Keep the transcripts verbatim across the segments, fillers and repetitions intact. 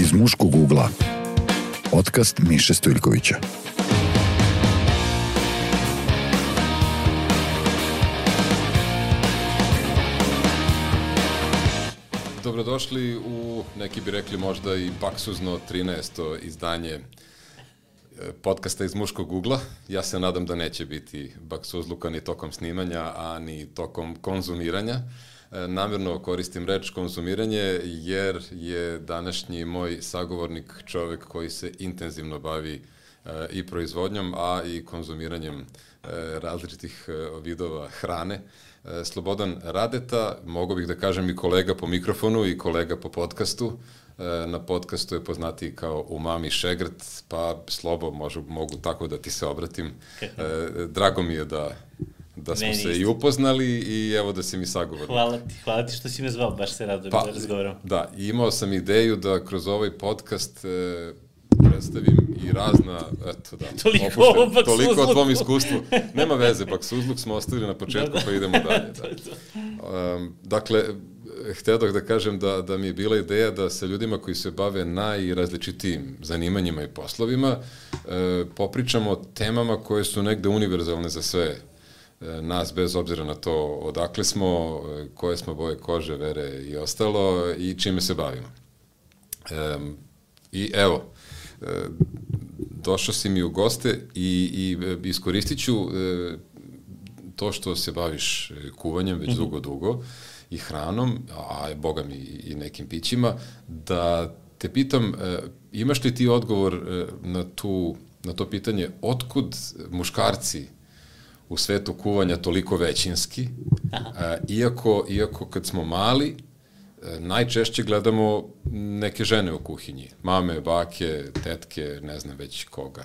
Iz muškog ugla. Podcast Miše Stojljkovića. Dobrodošli u, neki bi rekli možda i baksuzno trinaesto izdanje podcasta Iz muškog ugla. Ja se nadam da neće biti baksuzluka ni tokom snimanja, a ni tokom konzumiranja. Namjerno koristim reč konzumiranje jer je današnji moj sagovornik čovjek koji se intenzivno bavi i proizvodnjom, a i konzumiranjem različitih vidova hrane. Slobodan Radeta, mogu bih da kažem i kolega po mikrofonu i kolega po podcastu. Na podcastu je poznatiji kao Umami Šegrt, pa Slobo, možu, mogu tako da ti se obratim. Drago mi je da, da smo Meni se isto. i upoznali i evo da si mi sagovornik. Hvala ti, hvala ti što si me zvao, baš se rado pa, da razgovaram. Da, imao sam ideju da kroz ovaj podcast e, predstavim i razna, eto da, toliko, opušten, toliko o tvom iskustvu. Nema veze, baksuzluk smo ostavili na početku, pa idemo dalje. Da. Um, dakle, htjedoh da kažem da, da mi je bila ideja da sa ljudima koji se bave najrazličitijim zanimanjima i poslovima e, popričamo o temama koje su negde univerzalne za sve e, nas, bez obzira na to odakle smo, e, koje smo boje kože, vere i ostalo i čime se bavimo. E, I evo, e, došao si mi u goste i, i iskoristit ću e, to što se baviš kuvanjem već dugo, dugo, i hranom, a boga mi i nekim pićima, da te pitam, imaš li ti odgovor na, tu, na to pitanje, otkud muškarci u svetu kuvanja toliko većinski, iako, iako kad smo mali, najčešće gledamo neke žene u kuhinji, mame, bake, tetke, ne znam već koga.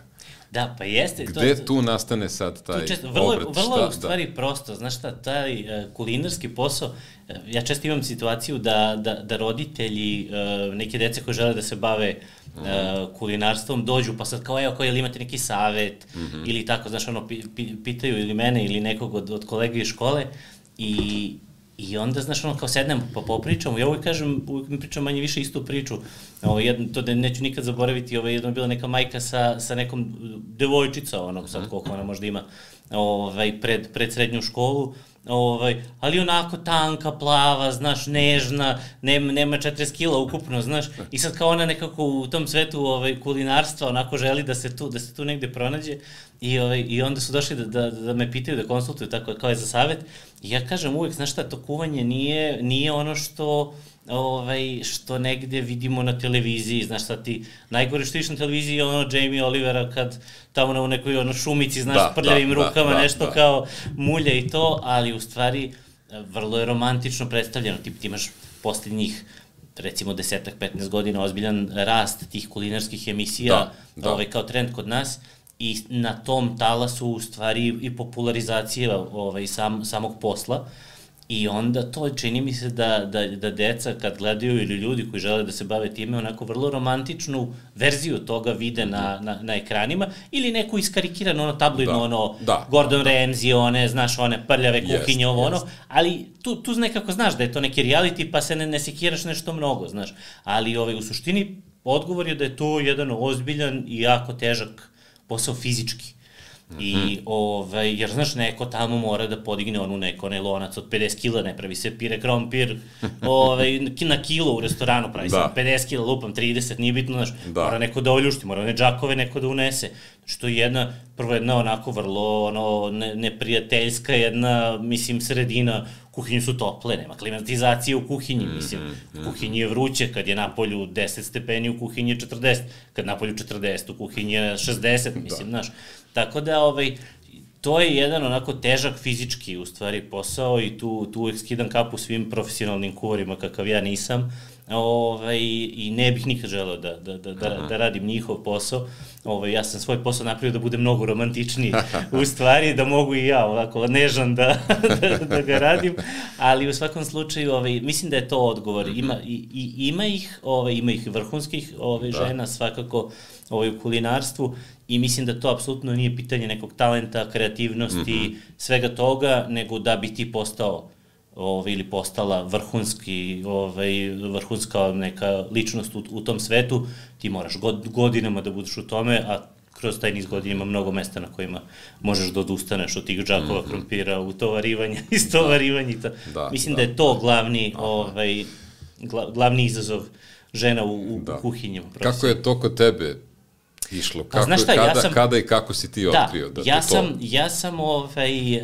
Da, pa jeste. Gde to, tu nastane sad taj često, vrlo, obrat? Vrlo šta, je u stvari da. prosto, znaš šta, taj uh, kulinarski posao, uh, ja često imam situaciju da, da, da roditelji uh, neke dece koje žele da se bave uh, mm. kulinarstvom dođu, pa sad kao, evo, kao, jel imate neki savet, mm-hmm. ili tako, znaš, ono, pi, pi, pitaju ili mene ili nekog od, od kolega iz škole i I onda, znaš, ono, kao sednem pa popričamo, ja uvijek kažem, uvijek mi pričam manje više istu priču, ovo, jedno, to da neću nikad zaboraviti, ovo, jedno je bila neka majka sa, sa nekom devojčica, onog sad koliko ona možda ima, ovaj, pred, pred srednju školu, ovaj, ali onako tanka, plava, znaš, nežna, nema, nema četrdeset kila ukupno, znaš, i sad kao ona nekako u tom svetu ovaj, kulinarstva onako želi da se tu, da se tu negde pronađe i, ovaj, i onda su došli da, da, da me pitaju, da konsultuju tako kao je za savet i ja kažem uvijek, znaš šta, to kuvanje nije, nije ono što ovaj, što negde vidimo na televiziji, znaš šta ti, najgore što viš na televiziji je ono Jamie Olivera kad tamo na nekoj ono šumici, znaš, da, prljavim da, rukama, da, nešto da. kao mulja i to, ali u stvari vrlo je romantično predstavljeno, ti, ti imaš posljednjih recimo desetak, petnaest godina ozbiljan rast tih kulinarskih emisija, da, da. Ovaj, kao trend kod nas i na tom talasu u stvari i popularizacija ovaj, sam, samog posla. I onda to čini mi se da, da, da deca kad gledaju ili ljudi koji žele da se bave time onako vrlo romantičnu verziju toga vide na, na, na ekranima ili neku iskarikiranu ono tabloidno da, ono da, Gordon da, Ramsay, one, znaš, one prljave kuhinje, yes, ovo ono, yes. ali tu, tu nekako znaš da je to neki reality pa se ne, ne sekiraš nešto mnogo, znaš, ali ovaj, u suštini odgovor je da je to jedan ozbiljan i jako težak posao fizički. I, mm-hmm. ovaj, jer, znaš, neko tamo mora da podigne onu neko, onaj lonac od pedeset kila, ne pravi se pire krompir, ovaj, na kilo u restoranu pravi da. se pedeset kila, lupam, trideset, nije bitno, znaš, da. mora neko da oljušti, mora one džakove neko da unese, što je jedna, prvo jedna onako vrlo, ono, ne, neprijateljska jedna, mislim, sredina, kuhinje su tople, nema klimatizacije u kuhinji, mislim, u kuhinji je vruće, kad je napolju deset stepeni, u kuhinji je četrdeset, kad napolju četrdeset, u kuhinji je šezdeset, mislim, znaš, tako da, ovaj, to je jedan onako težak fizički, u stvari, posao i tu, tu uvijek skidam kapu svim profesionalnim kuvarima kakav ja nisam, ovaj, i ne bih nikad želeo da, da, da, da, da radim njihov posao. Ovaj, ja sam svoj posao napravio da bude mnogo romantičniji, u stvari, da mogu i ja ovako nežan da, da, da ga radim, ali u svakom slučaju, ovaj, mislim da je to odgovor. Ima, i, i, ima ih, ovaj, ima ih vrhunskih ovaj, žena svakako ovaj, u kulinarstvu i mislim da to apsolutno nije pitanje nekog talenta, kreativnosti, mm-hmm. svega toga, nego da bi ti postao ovaj, ili postala vrhunski, ovaj, vrhunska neka ličnost u, u tom svetu, ti moraš god, godinama da budeš u tome, a kroz taj niz godina ima mnogo mesta na kojima možeš da odustaneš od tih džakova mm-hmm. krompira, utovarivanja, istovarivanja i to. Da, Mislim da, da je to glavni, ovaj, gla, glavni izazov žena u, u, u kuhinjama. Kako je to kod tebe išlo? Kako, znaš šta, kada, ja sam, kada i kako si ti otkrio? Da, da ja, to... sam, ja sam, ovaj,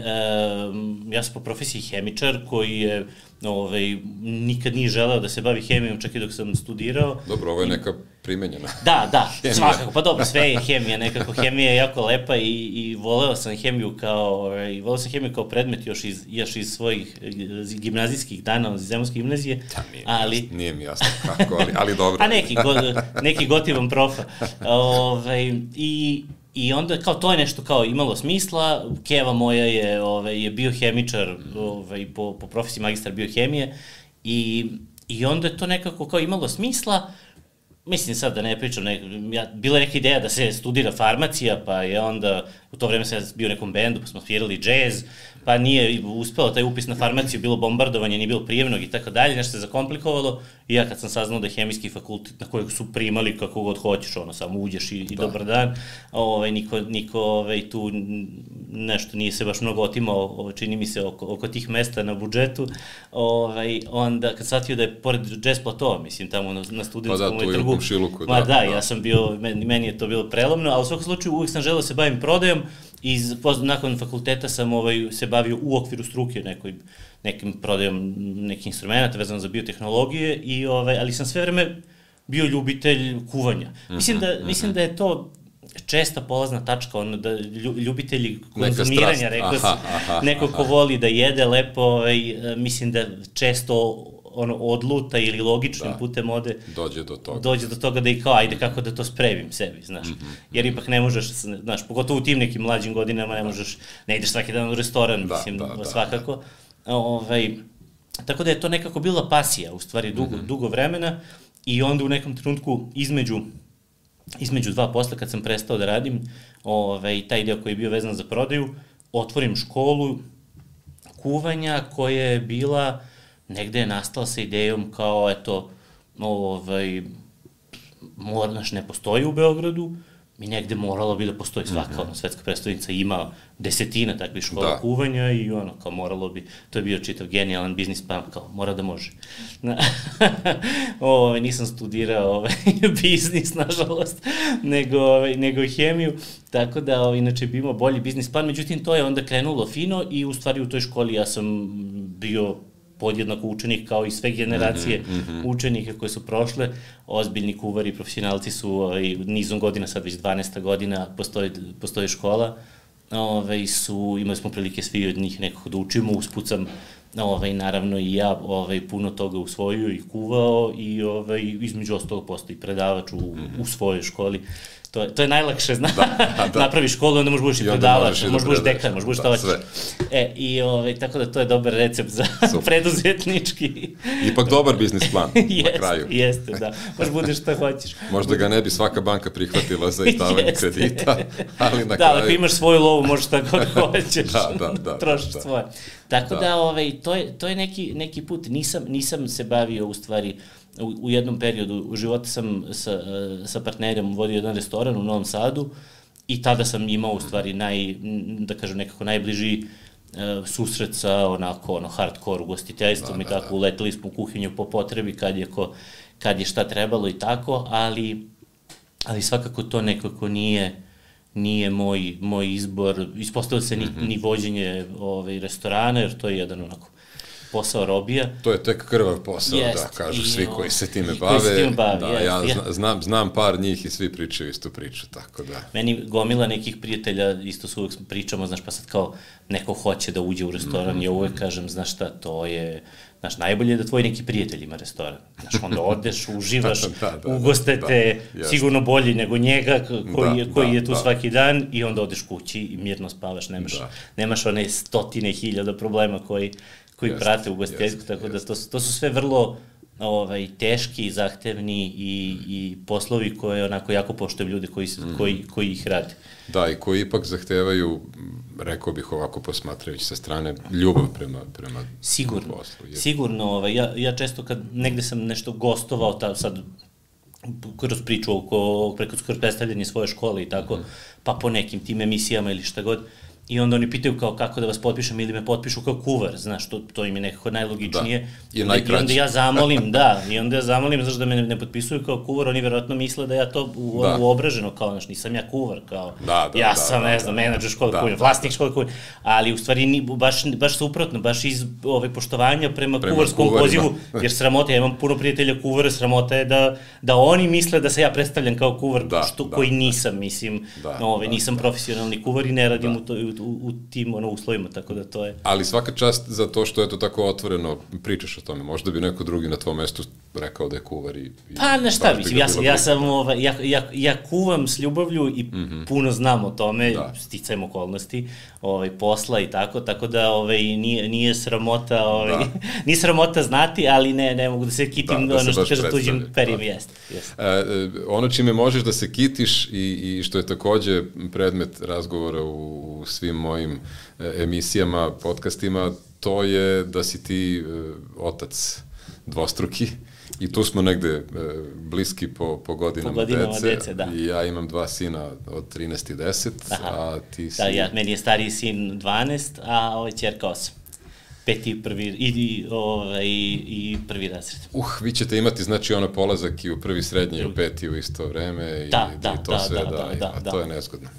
um, ja sam po profesiji hemičar koji je ovaj, nikad nije želeo da se bavi hemijom, čak i dok sam studirao. Dobro, ovo je neka primenjena. Da, da, svakako, pa dobro, sve je hemija, nekako hemija je jako lepa i, i voleo sam hemiju kao, ovaj, voleo sam hemiju kao predmet još iz, još iz svojih gimnazijskih dana, iz Zemunske gimnazije. Da, nije, ali, jasno, nije mi jasno kako, ali, ali dobro. A neki, go, neki gotivan profa. Ovaj, i, I onda kao to je nešto kao imalo smisla, keva moja je, ovaj, je biohemičar, ovaj, po, po profesiji magistar biohemije i, i onda je to nekako kao imalo smisla. Mislim sad da ne pričam, ne, ja, bila je neka ideja da se studira farmacija, pa je onda, u to vreme sam bio u nekom bendu, pa smo svirali džez, pa nije uspeo taj upis na farmaciju, bilo bombardovanje, nije bilo prijemnog i tako dalje, nešto se zakomplikovalo i ja kad sam saznao da je hemijski fakultet na kojeg su primali kako god hoćeš, ono, samo uđeš i, i da. Dobar dan, ovaj, niko, niko ovaj, tu nešto nije se baš mnogo otimao, čini mi se, oko, oko tih mesta na budžetu, ovaj, onda kad shvatio da je pored džez platova, mislim, tamo na, na studentskom pa da, trgu, Šiluku, ma da, da, da, ja sam bio, meni, meni je to bilo prelomno, ali u svakom slučaju uvijek sam želeo da se bavim prodajom i nakon fakulteta sam ovaj, se bavio u okviru struke nekoj, nekim prodajom nekih instrumenta vezano za biotehnologije, i, ovaj, ali sam sve vreme bio ljubitelj kuvanja. Mislim da, mm-hmm. mislim da je to česta polazna tačka, ono da ljubitelji konzumiranja, rekao sam, neko ko voli da jede lepo, ovaj, mislim da često ono, odluta ili logičnim da. putem ode, dođe do toga. Dođe do toga da i kao, ajde kako da to spremim sebi, znaš. Mm-hmm. Jer ipak ne možeš, znaš, pogotovo u tim nekim mlađim godinama ne možeš, ne ideš svaki dan u restoran, da, mislim, da, svakako. Da. Ovaj, tako da je to nekako bila pasija, u stvari, dugo, mm-hmm. dugo vremena, i onda u nekom trenutku između, između dva posla, kad sam prestao da radim, ovaj, taj deo koji je bio vezan za prodaju, otvorim školu kuvanja koja je bila, negde je nastala sa idejom kao, eto, ovaj, mornaš ne postoji u Beogradu, i negde moralo bi da postoji svaka, mm-hmm. ono, svetska predstavnica ima desetina takvih škola da. kuvanja i ono, kao moralo bi, to je bio čitav genijalan biznis plan, kao mora da može. o, nisam studirao ovaj, biznis, nažalost, nego, ovaj, nego hemiju, tako da, ovaj, inače bi imao bolji biznis plan, međutim, to je onda krenulo fino i u stvari u toj školi ja sam bio podjednako učenik kao i sve generacije mm-hmm. učenika koje su prošle, ozbiljni kuvari, profesionalci su ovaj, nizom godina, sad već dvanaesta godina postoji, postoji škola, ovaj, su, imali smo prilike svi od njih nekako da učimo, uspucam, ovaj, naravno i ja ovaj, puno toga usvojio i kuvao i ovaj, između ostalog postoji predavač u, mm-hmm. u svojoj školi. To je, to je najlakše, zna, da, da. napraviš školu, onda možeš budeš i predavač, možeš budeš dekan, možeš budeš šta hoćeš. E, i ovaj, tako da to je dobar recept za preduzetnički. Ipak dobar biznis plan jest, na kraju. Jeste, da, možeš budeš šta hoćeš. Možda ga ne bi svaka banka prihvatila za izdavanje kredita, ali na da, kraju... Da, ako imaš svoju lovu, možeš šta god hoćeš, da, da, da, trošiš da. svoje. Tako da, da ovaj, to je, to je neki, neki put, nisam, nisam se bavio u stvari... U, u jednom periodu u životu sam sa, sa partnerom vodio jedan restoran u Novom Sadu i tada sam imao u stvari naj, da kažem nekako najbliži uh, susret sa onako ono hardcore ugostiteljstvom da, i tako, da. Uleteli smo u kuhinju po potrebi kad je, ko, kad je šta trebalo i tako, ali, ali svakako to nekako nije, nije moj, moj izbor, ispostavilo se ni, mm-hmm. ni vođenje ovaj, restorana, jer to je jedan onako posao robija. To je tek krvav posao, jest, da, kažu i, svi koji se time i bave. Koji se time bave, da, jest, ja jest. zna, znam, znam par njih i svi pričaju istu priču, tako da. Meni gomila nekih prijatelja, isto su uvek pričamo, znaš, pa sad kao neko hoće da uđe u restoran, mm-hmm. ja uvek kažem, znaš šta, to je, znaš, najbolje je da tvoj neki prijatelj ima restoran. Znaš, onda odeš, uživaš, da, da, da, ugostete, da, da, sigurno bolji nego njega koji, da, koji da, je tu da. svaki dan i onda odeš kući i mirno spavaš, nemaš, da. nemaš one stotine hiljada problema koji koji jest, prate ugostiteljstvo, tako jest, da to, to su sve vrlo ovaj, teški, zahtevni i, i poslovi koje onako jako poštujem ljude koji, mm. koji, koji ih rade. Da, i koji ipak zahtevaju, rekao bih ovako posmatrajući sa strane, ljubav prema, prema sigurno, poslu. Je... Sigurno, ovaj, ja, ja često kad negde sam nešto gostovao, ta, sad kroz priču oko, preko skoro predstavljanje svoje škole i tako, mm. pa po nekim tim emisijama ili šta god, i onda oni pitaju kao kako da vas potpišem ili me potpišu kao kuvar, znaš, to, to im je nekako najlogičnije. Da, i najkraće. I onda ja zamolim, da, i onda ja zamolim, znaš, da me ne, ne potpisuju kao kuvar, oni verovatno misle da ja to u, da. uobraženo, kao, znaš, nisam ja kuvar, kao, da, da, ja da, sam, da, ne znam, da, menadžer škole da, kuvar, da, vlasnik da. škole kuvar, ali u stvari ni, baš, baš suprotno, baš iz ove, poštovanja prema, prema kuvarskom kuvarima. Pozivu, jer sramota, ja imam puno prijatelja kuvara, sramota je da, da oni misle da se ja predstavljam kao kuvar, da, što, da, koji nisam, mislim, da, ove, da, nisam da. profesionalni kuvar i ne radim da. u, to, u, u tim ono, uslovima, tako da to je... Ali svaka čast za to što je to tako otvoreno, pričaš o tome, možda bi neko drugi na tvojom mestu rekao da je kuvar i... i pa, na šta, mislim, ja, ja sam, ovaj, ja, ja, ja kuvam s ljubavlju i mm -hmm. puno znam o tome, da. sticajem okolnosti, ovaj, posla i tako, tako da ovaj, nije, nije sramota, ovaj, da. nije sramota znati, ali ne, ne mogu da se kitim, da, da ono što kaže tuđim perijem, da. jest. jest. E, ono čime možeš da se kitiš i, i što je takođe predmet razgovora u, u svim mojim emisijama, podcastima, to je da si ti e, otac dvostruki i tu smo negde e, bliski po, po godinama, po godinama dece, dece da. I ja imam dva sina od trinaest i deset, aha. A ti si... Da, ja, meni je stariji sin dvanaest, a ovaj ćerka osam. Peti i prvi, i, i, ovaj, i prvi razred. Uh, vi ćete imati, znači, ono polazak i u prvi srednji i u peti u isto vreme i, da, da, i to da, sve, da, da, da, i, da, a da. to je nezgodno.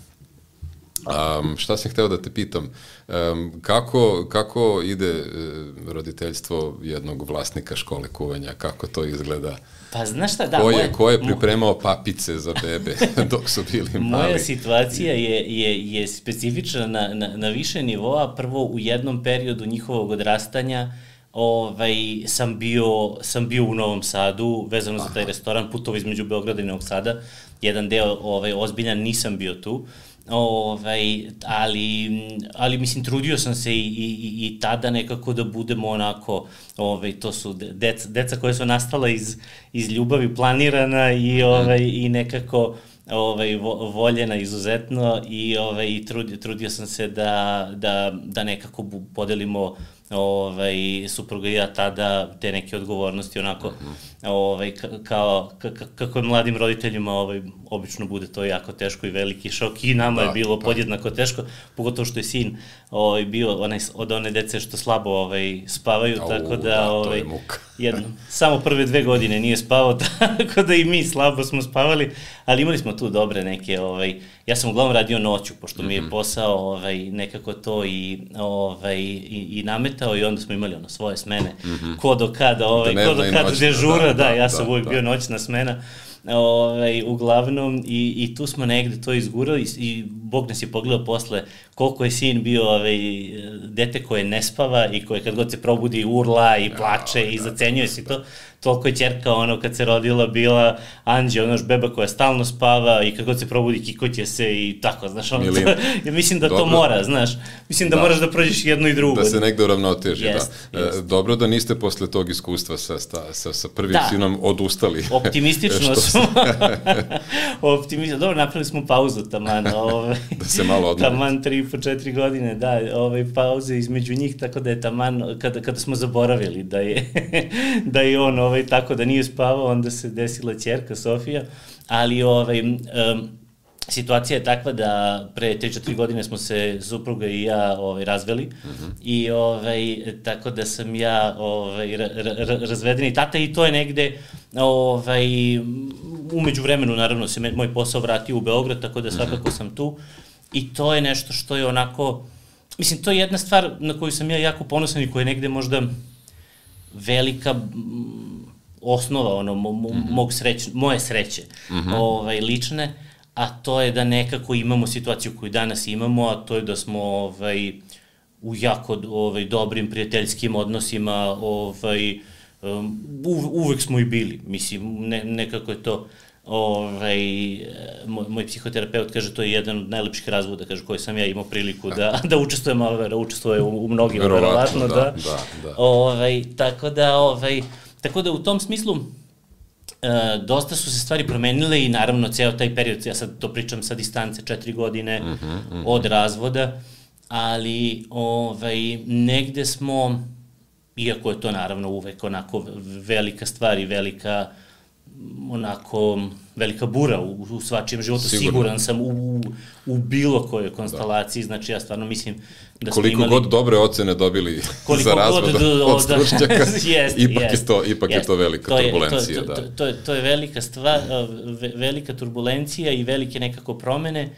Um, šta sam hteo da te pitam, um, kako, kako ide uh, roditeljstvo jednog vlasnika škole kuvanja, kako to izgleda? Pa znaš šta, da, ko je, moje... ko je pripremao papice za bebe dok su bili mali? Moja situacija je, je, je specifična na, na, na više nivoa. Prvo, u jednom periodu njihovog odrastanja ovaj, sam, bio, sam bio u Novom Sadu, vezano Aha. za taj restoran, putovo između Beograda i Novog Sada. Jedan deo ovaj, ozbiljan, nisam bio tu. Ovaj, ali, ali mislim trudio sam se i, i, i tada nekako da budemo onako, ovaj, to su deca, deca koje su nastala iz, iz ljubavi, planirana i, ovaj, i nekako ovaj, voljena izuzetno i, ovaj, i trudio, trudio sam se da, da, da nekako podelimo ovaj, supruga i ja tada te neke odgovornosti onako, mm -hmm. ovaj, kao, kako je mladim roditeljima ovaj, obično bude to jako teško i veliki šok i nama da, je bilo da. podjednako teško, pogotovo što je sin ovaj, bio onaj, od one dece što slabo ovaj, spavaju, Au, tako da, da ovaj, jedno, samo prve dve godine nije spavao, tako da i mi slabo smo spavali, ali imali smo tu dobre neke, ovaj, ja sam uglavnom radio noću, pošto mi je posao ovaj, nekako to i, ovaj, i, i nametao i onda smo imali ono svoje smene, mm-hmm. ko do kada, ovaj, da ko do kada dežura, da, da, da, ja sam da, uvijek da. bio noćna smena, ovaj, uglavnom i, i tu smo negde to izgurali i, i Bog nas je pogledao posle koliko je sin bio ovaj, dete koje ne spava i koje kad god se probudi urla i plače ja, i zacenjuje se to, toliko je ćerka ono kad se rodila bila anđe, ono beba koja stalno spava i kad god se probudi kikoće se i tako, znaš, ono, to, ja mislim da dobro. To mora, znaš, mislim da, da moraš da prođeš jedno i drugo. Da se negde uravnoteži, jest, da. Jest. Dobro da niste posle tog iskustva sa, sa, sa prvim da. sinom odustali. Optimistično smo. Optimistično, dobro, napravili smo pauzu taman, ovaj, da se malo odmori. Taman tri po četiri godine, da, ovaj, pauze između njih, tako da je taman, kada, kada smo zaboravili da je, da je on ovaj, tako da nije spavao, onda se desila ćerka Sofija, ali ovaj, um, situacija je takva da pre tri četiri godine smo se supruga i ja ovaj, razveli mm-hmm. i ovaj, tako da sam ja ovaj, ra, ra, razvedeni tata i to je negde ovaj, umeđu vremenu naravno se moj posao vratio u Beograd, tako da svakako mm-hmm. sam tu i to je nešto što je onako, mislim to je jedna stvar na koju sam ja jako ponosan i koja je negde možda velika osnova ono, mo, mm-hmm. mog sreć, moje sreće mm-hmm. ovaj, lične, a to je da nekako imamo situaciju koju danas imamo, a to je da smo ovaj, u jako ovaj, dobrim prijateljskim odnosima, ovaj, um, uvek smo i bili, mislim, ne, nekako je to, ovaj, moj, moj psihoterapeut kaže to je jedan od najlepših razvoda, kaže, koji sam ja imao priliku da, da učestvujem, da učestvuje u, u mnogim, verovatno, da, da, da, da. Ovaj, tako da, ovaj, tako da u tom smislu e, dosta su se stvari promenile i naravno ceo taj period, ja sad to pričam sa distance, četiri godine mm -hmm, mm -hmm. od razvoda, ali ovaj, negde smo, iako je to naravno uvek onako velika stvar i velika onako velika bura u, u svačijem životu, Sigurno. siguran sam u, u bilo kojoj konstelaciji, da. Znači ja stvarno mislim da smo koliko imali... god dobre ocene dobili za razvod od, od stručnjaka, jest, ipak, jest, je, to, ipak jest. je to velika to je, turbulencija. To, da. to, to, je, to je velika stvar, velika turbulencija i velike nekako promene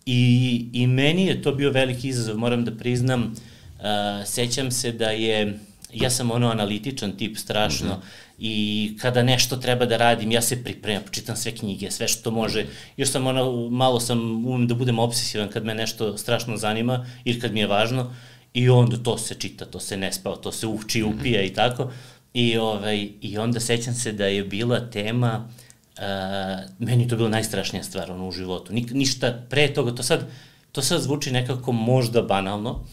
i, i meni je to bio veliki izazov, moram da priznam, uh, sećam se da je, ja sam ono analitičan tip strašno, mm -hmm. I kada nešto treba da radim, ja se pripremam, čitam sve knjige, sve što može, još sam ono, malo sam, umem da budem obsesivan kad me nešto strašno zanima ili kad mi je važno i onda to se čita, to se ne spava, to se uči, upija i tako. I, ovaj, i onda sećam se da je bila tema, uh, meni je to bila najstrašnija stvar ono, u životu, Nik, ništa pre toga, to sad, to sad zvuči nekako možda banalno,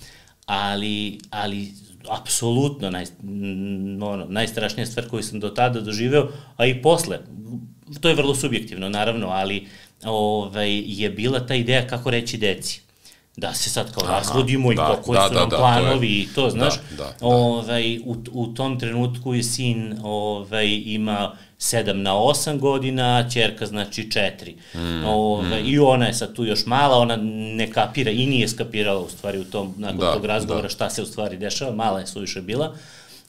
ali, ali apsolutno naj, ono, najstrašnija stvar koju sam do tada doživeo, a i posle, to je vrlo subjektivno naravno, ali ovaj, je bila ta ideja kako reći deci. Da se sad kao Aha, razvodimo i da, koji da, su da, nam da, planovi i to, znaš. Da, da, da. Ovaj, u, u tom trenutku je sin ovaj, ima sedam na osam godina, a ćerka znači četiri. Mm, Ove, mm. I ona je sad tu još mala, ona ne kapira i nije skapirala u stvari u tom, nakon da, tog razgovora da. šta se u stvari dešava, mala je suviše bila,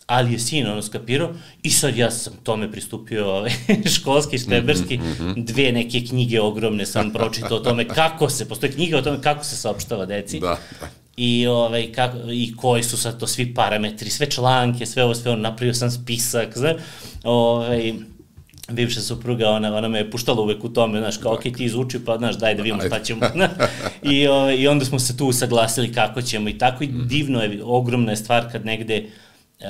ali je sin ono skapirao i sad ja sam tome pristupio ove, školski, šteberski, mm -hmm. dve neke knjige ogromne sam pročitao o tome kako se, postoje knjige o tome kako se saopštava deci. Da, da. I, ovaj, kako, i koji su sad to svi parametri, sve članke, sve ovo, sve ono, napravio sam spisak, znaš, ovaj, bivša supruga, ona, ona me je puštala uvek u tome, znaš, kao, ok, ti izuči, pa, znaš, daj da vidimo šta ćemo. I, o, I onda smo se tu usaglasili kako ćemo i tako, i divno je, ogromna je stvar kad negde, uh,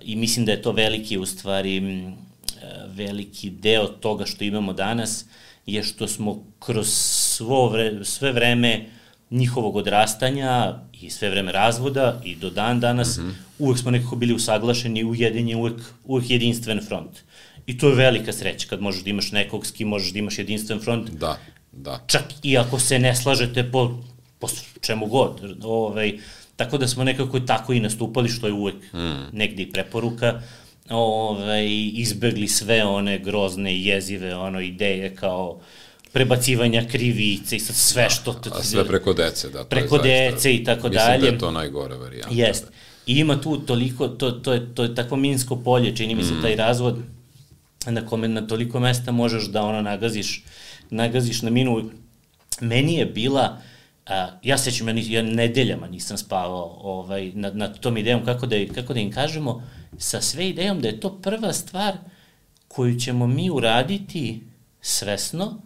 i mislim da je to veliki, u stvari, uh, veliki deo toga što imamo danas, je što smo kroz svo vre, sve vreme njihovog odrastanja i sve vreme razvoda i do dan danas, mm -hmm. uvek smo nekako bili usaglašeni, ujedinjeni, uvek, uvek jedinstven front. I to je velika sreća kad možeš da imaš nekog s kim možeš da imaš jedinstven front. Da, da. Čak i ako se ne slažete po, po čemu god. Ovaj, tako da smo nekako tako i nastupali, što je uvek mm. negde i preporuka. Ovaj, izbegli sve one grozne i jezive ono, ideje kao prebacivanja krivice i sve što... Da, a sve preko dece, da. Preko dece i tako dalje. Mislim da je to najgore varijanta. Jest. I ima tu toliko, to, to, je, to je takvo minsko polje, čini mi se mm. taj razvod, na kome na toliko mesta možeš da ono nagaziš, nagaziš na minu. Meni je bila, a, ja sećam, ja, ja nedeljama nisam spavao ovaj, nad, nad tom idejom, kako da, kako da im kažemo, sa sve idejom da je to prva stvar koju ćemo mi uraditi svesno,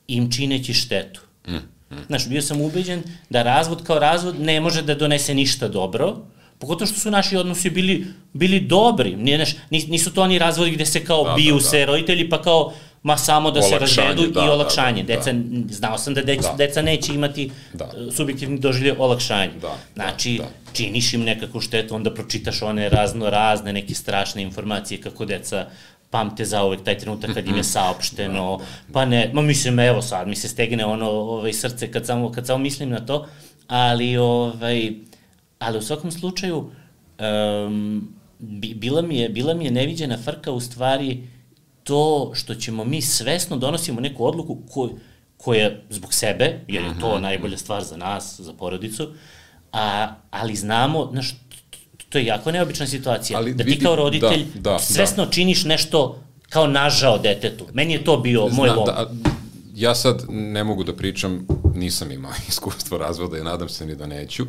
im čineći štetu. Mm, mm. Znaš, bio sam ubeđen da razvod kao razvod ne može da donese ništa dobro, pogotovo što su naši odnosi bili, bili dobri. Nije, neš, nisu to oni razvodi gde se kao da, biju da, se da. roditelji, pa kao ma samo da olakšanje, se razvedu da, i olakšanje. Da, da, deca, da. Znao sam da, dec, da deca neće imati da. subjektivni doživljaj olakšanje. Da, znači, da, da. činiš im nekakvu štetu, onda pročitaš one razno razne, neke strašne informacije kako deca pamte zauvek taj trenutak kad im je saopšteno, pa ne, ma mislim, evo sad, mi se stegne ono ovaj, srce kad samo, kad samo mislim na to, ali, ovaj, ali u svakom slučaju, um, bila, mi je, bila mi je neviđena frka u stvari to što ćemo mi svesno donosimo neku odluku koju, koja zbog sebe, jer je to najbolja stvar za nas, za porodicu, a, ali znamo, znaš, to je jako neobična situacija, ali da ti vidi, kao roditelj da, da, svesno da. činiš nešto kao nažao detetu. Meni je to bio Znam, moj lom. Da, ja sad ne mogu da pričam, nisam imao iskustvo razvoda i nadam se ni da neću.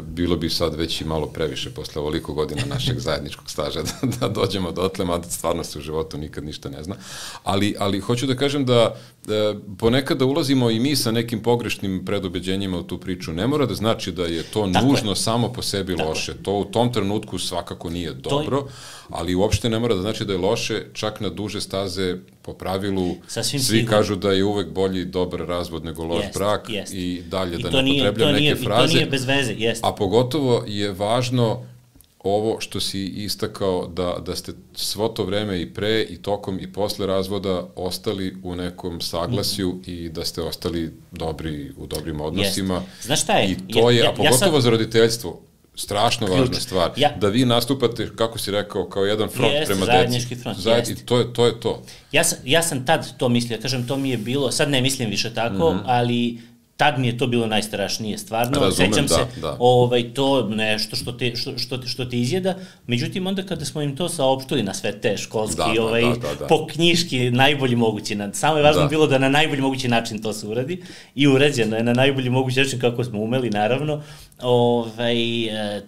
Bilo bi sad već i malo previše posle ovoliko godina našeg zajedničkog staža da, da dođemo dotle, mada stvarno se u životu nikad ništa ne zna. Ali, ali hoću da kažem da e, ponekad da ulazimo i mi sa nekim pogrešnim predubeđenjima u tu priču. Ne mora da znači da je to Tako nužno je. samo po sebi Tako loše. To u tom trenutku svakako nije dobro, je... ali uopšte ne mora da znači da je loše, čak na duže staze po pravilu Sasvim svi sigurno. kažu da je uvek bolji dobar razvod nego loš jest, brak jest. i dalje I da ne upotrebljam neke fraze. I to nije bez veze, jest. A pogotovo je važno ovo što si istakao da, da ste svo to vreme i pre i tokom i posle razvoda ostali u nekom saglasju mm. i da ste ostali dobri u dobrim odnosima. Jest. Znaš šta je? I to je, ja, a pogotovo ja sad... za roditeljstvo, strašno Ključ. važna stvar. Ja. Da vi nastupate, kako si rekao, kao jedan front jest, prema zajednički deci. Front, Zajed, I to je, to je to. Ja sam, ja sam tad to mislio, kažem, to mi je bilo, sad ne mislim više tako, mm-hmm. ali tad mi je to bilo najstrašnije, stvarno. Razumem, sećam da, se, da. ovaj, to nešto što te, što, što, što te izjeda, međutim, onda kada smo im to saopštili na sve te školski, da, ovaj, da, da, da. po knjiški, najbolji mogući, samo je važno da. bilo da na najbolji mogući način to se uradi i urađeno je na najbolji mogući način kako smo umeli, naravno. Ovaj,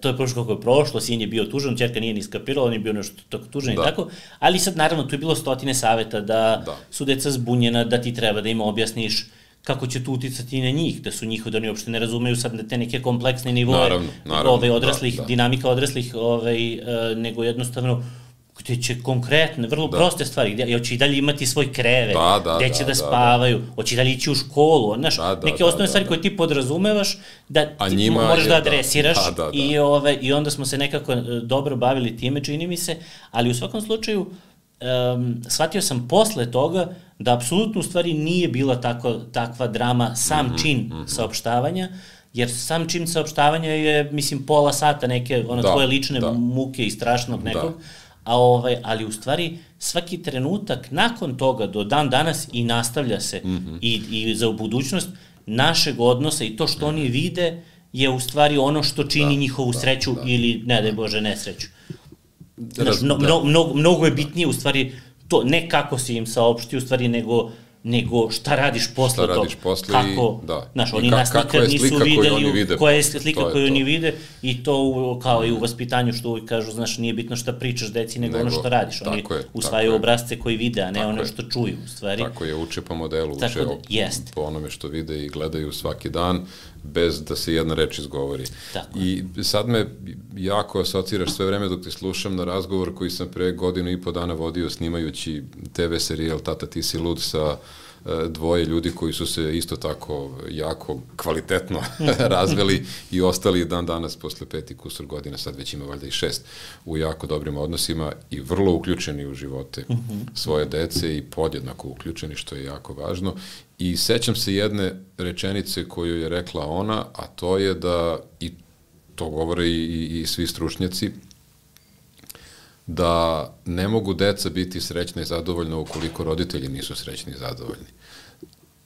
to je prošlo kako je prošlo, sin je bio tužan, ćerka nije ni skapirala, on je bio nešto tako tužan da. I tako, ali sad naravno tu je bilo stotine saveta da, da su deca zbunjena, da ti treba da im objasniš kako će to uticati na njih, da su njihovi, da oni uopšte ne razumeju sad te neke kompleksne nivoje naravno, naravno, ove, odraslih, da, da. dinamika odraslih, ovaj, nego jednostavno gde će konkretne, vrlo da. proste stvari, gde hoće i dalje imati svoj krevet, da, da, gde će da, da spavaju, da, da. hoće i dalje ići u školu, znaš, da, da, neke osnovne da, stvari da. koje ti podrazumevaš, da ti njima možeš je, da adresiraš da, da, da. I, ove, i onda smo se nekako dobro bavili time, čini mi se, ali u svakom slučaju Um, shvatio sam posle toga da apsolutno u stvari nije bila tako, takva drama sam mm -hmm, čin mm -hmm. saopštavanja, jer sam čin saopštavanja je, mislim, pola sata neke, ono, da, tvoje lične da. muke i strašnog nekog, da. a ovaj, ali u stvari svaki trenutak nakon toga do dan danas i nastavlja se mm -hmm. i, i za budućnost našeg odnosa i to što oni vide je u stvari ono što čini da, njihovu da, sreću da. ili, ne daj Bože, nesreću. Znaš, mno, mno, mno, mnogo je bitnije u stvari to, ne kako si im saopšti u stvari, nego, nego šta radiš posle toga. Šta radiš posle kako, i, da. Znaš, I oni ka, nas nikad nisu videli, vide, koja je slika koju to. oni vide i to u, kao i u vaspitanju što uvijek kažu, znaš, nije bitno šta pričaš deci, nego, nego ono što radiš. Oni usvajaju obrazce koji vide, a ne ono što čuju u stvari. Tako je, uče po modelu, uče da, jest. po onome što vide i gledaju svaki dan, bez da se jedna reč izgovori. Tako. I sad me jako asociraš sve vreme dok te slušam na razgovor koji sam pre godinu i po dana vodio snimajući te ve serijal Tata ti si lud sa dvoje ljudi koji su se isto tako jako kvalitetno razveli i ostali dan danas posle pet i kusur godina, sad već ima valjda i šest, u jako dobrim odnosima i vrlo uključeni u živote uh -huh. svoje dece i podjednako uključeni, što je jako važno. I sećam se jedne rečenice koju je rekla ona, a to je da, i to govore i, i, i svi stručnjaci, da ne mogu deca biti srećna i zadovoljna ukoliko roditelji nisu srećni i zadovoljni.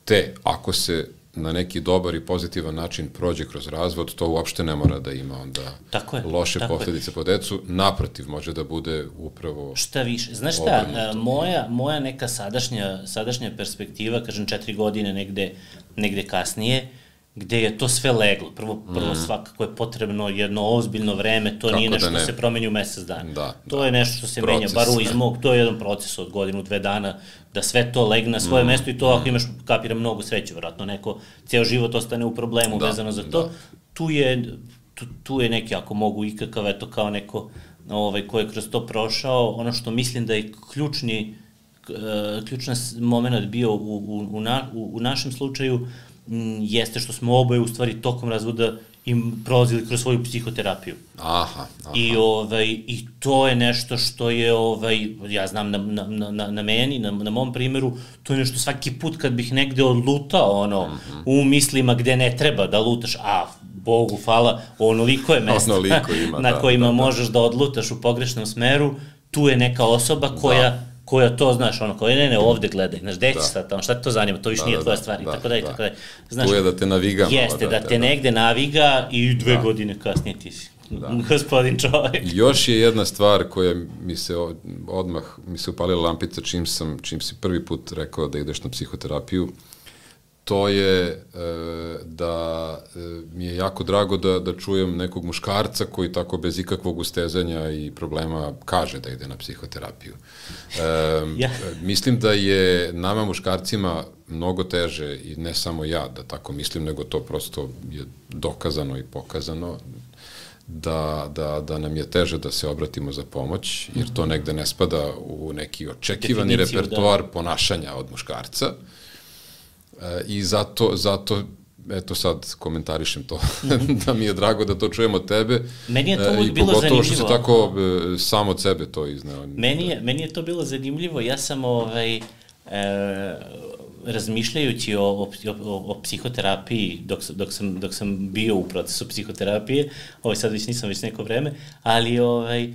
Te, ako se na neki dobar i pozitivan način prođe kroz razvod, to uopšte ne mora da ima onda tako je, loše tako posljedice je. po decu. Naprotiv, može da bude upravo šta više. Znaš šta, moja, moja neka sadašnja, sadašnja perspektiva, kažem četiri godine negde, negde kasnije, gde je to sve leglo. Prvo, prvo mm. svakako je potrebno jedno ozbiljno vreme, to Kako nije nešto što se promeni u mesec dana. Da, to da. je nešto što se proces, menja, bar u iz mog, to je jedan proces od godinu, dve dana, da sve to legne na svoje mm. mesto i to ako imaš, kapira, mnogo sreće, vjerojatno neko ceo život ostane u problemu da, vezano za to. Da. Tu je, tu, tu je neki, ako mogu ikakav, eto kao neko ovaj, ko je kroz to prošao, ono što mislim da je ključni, uh, ključan moment bio u, u, u, na, u, u našem slučaju, jeste što smo oboje u stvari tokom razvoda im prolazili kroz svoju psihoterapiju. Aha, aha. I, ovaj, I to je nešto što je, ovaj, ja znam na, na, na, na meni, na, na mom primjeru, to je nešto svaki put kad bih negde odlutao ono, mm-hmm. u mislima gde ne treba da lutaš, a Bogu hvala, onoliko je mesta onoliko ima, na da, kojima da, da. možeš da odlutaš u pogrešnom smeru, tu je neka osoba koja da. koja to, znaš, ono, koja ne, ne, ovde gledaj, znaš, gde ćeš sad tamo, šta te to zanima, to više da, nije da, tvoja stvar, i tako da, i tako da. Znaš, tu je da te naviga. Jeste, da, da te da. negde naviga i dve da. godine kasnije ti si da. gospodin čovjek. Još je jedna stvar koja mi se odmah, mi se upalila lampica čim sam, čim si prvi put rekao da ideš na psihoterapiju, to je e, da e, mi je jako drago da, da čujem nekog muškarca koji tako bez ikakvog ustezanja i problema kaže da ide na psihoterapiju. E, ja. Mislim da je nama muškarcima mnogo teže, i ne samo ja da tako mislim, nego to prosto je dokazano i pokazano, da, da, da nam je teže da se obratimo za pomoć, jer to negde ne spada u neki očekivani Definiciju, repertoar da. ponašanja od muškarca. I zato, zato eto sad komentarišem to, da mi je drago da to čujem od tebe. Meni je to uvijek bilo zanimljivo. I pogotovo što se tako e, sam od sebe to izneo. Meni je, meni je to bilo zanimljivo, ja sam ovaj, e, razmišljajući o, o, o, o psihoterapiji dok, dok, sam, dok sam bio u procesu psihoterapije, ovaj, sad već nisam već neko vreme, ali ovaj, e,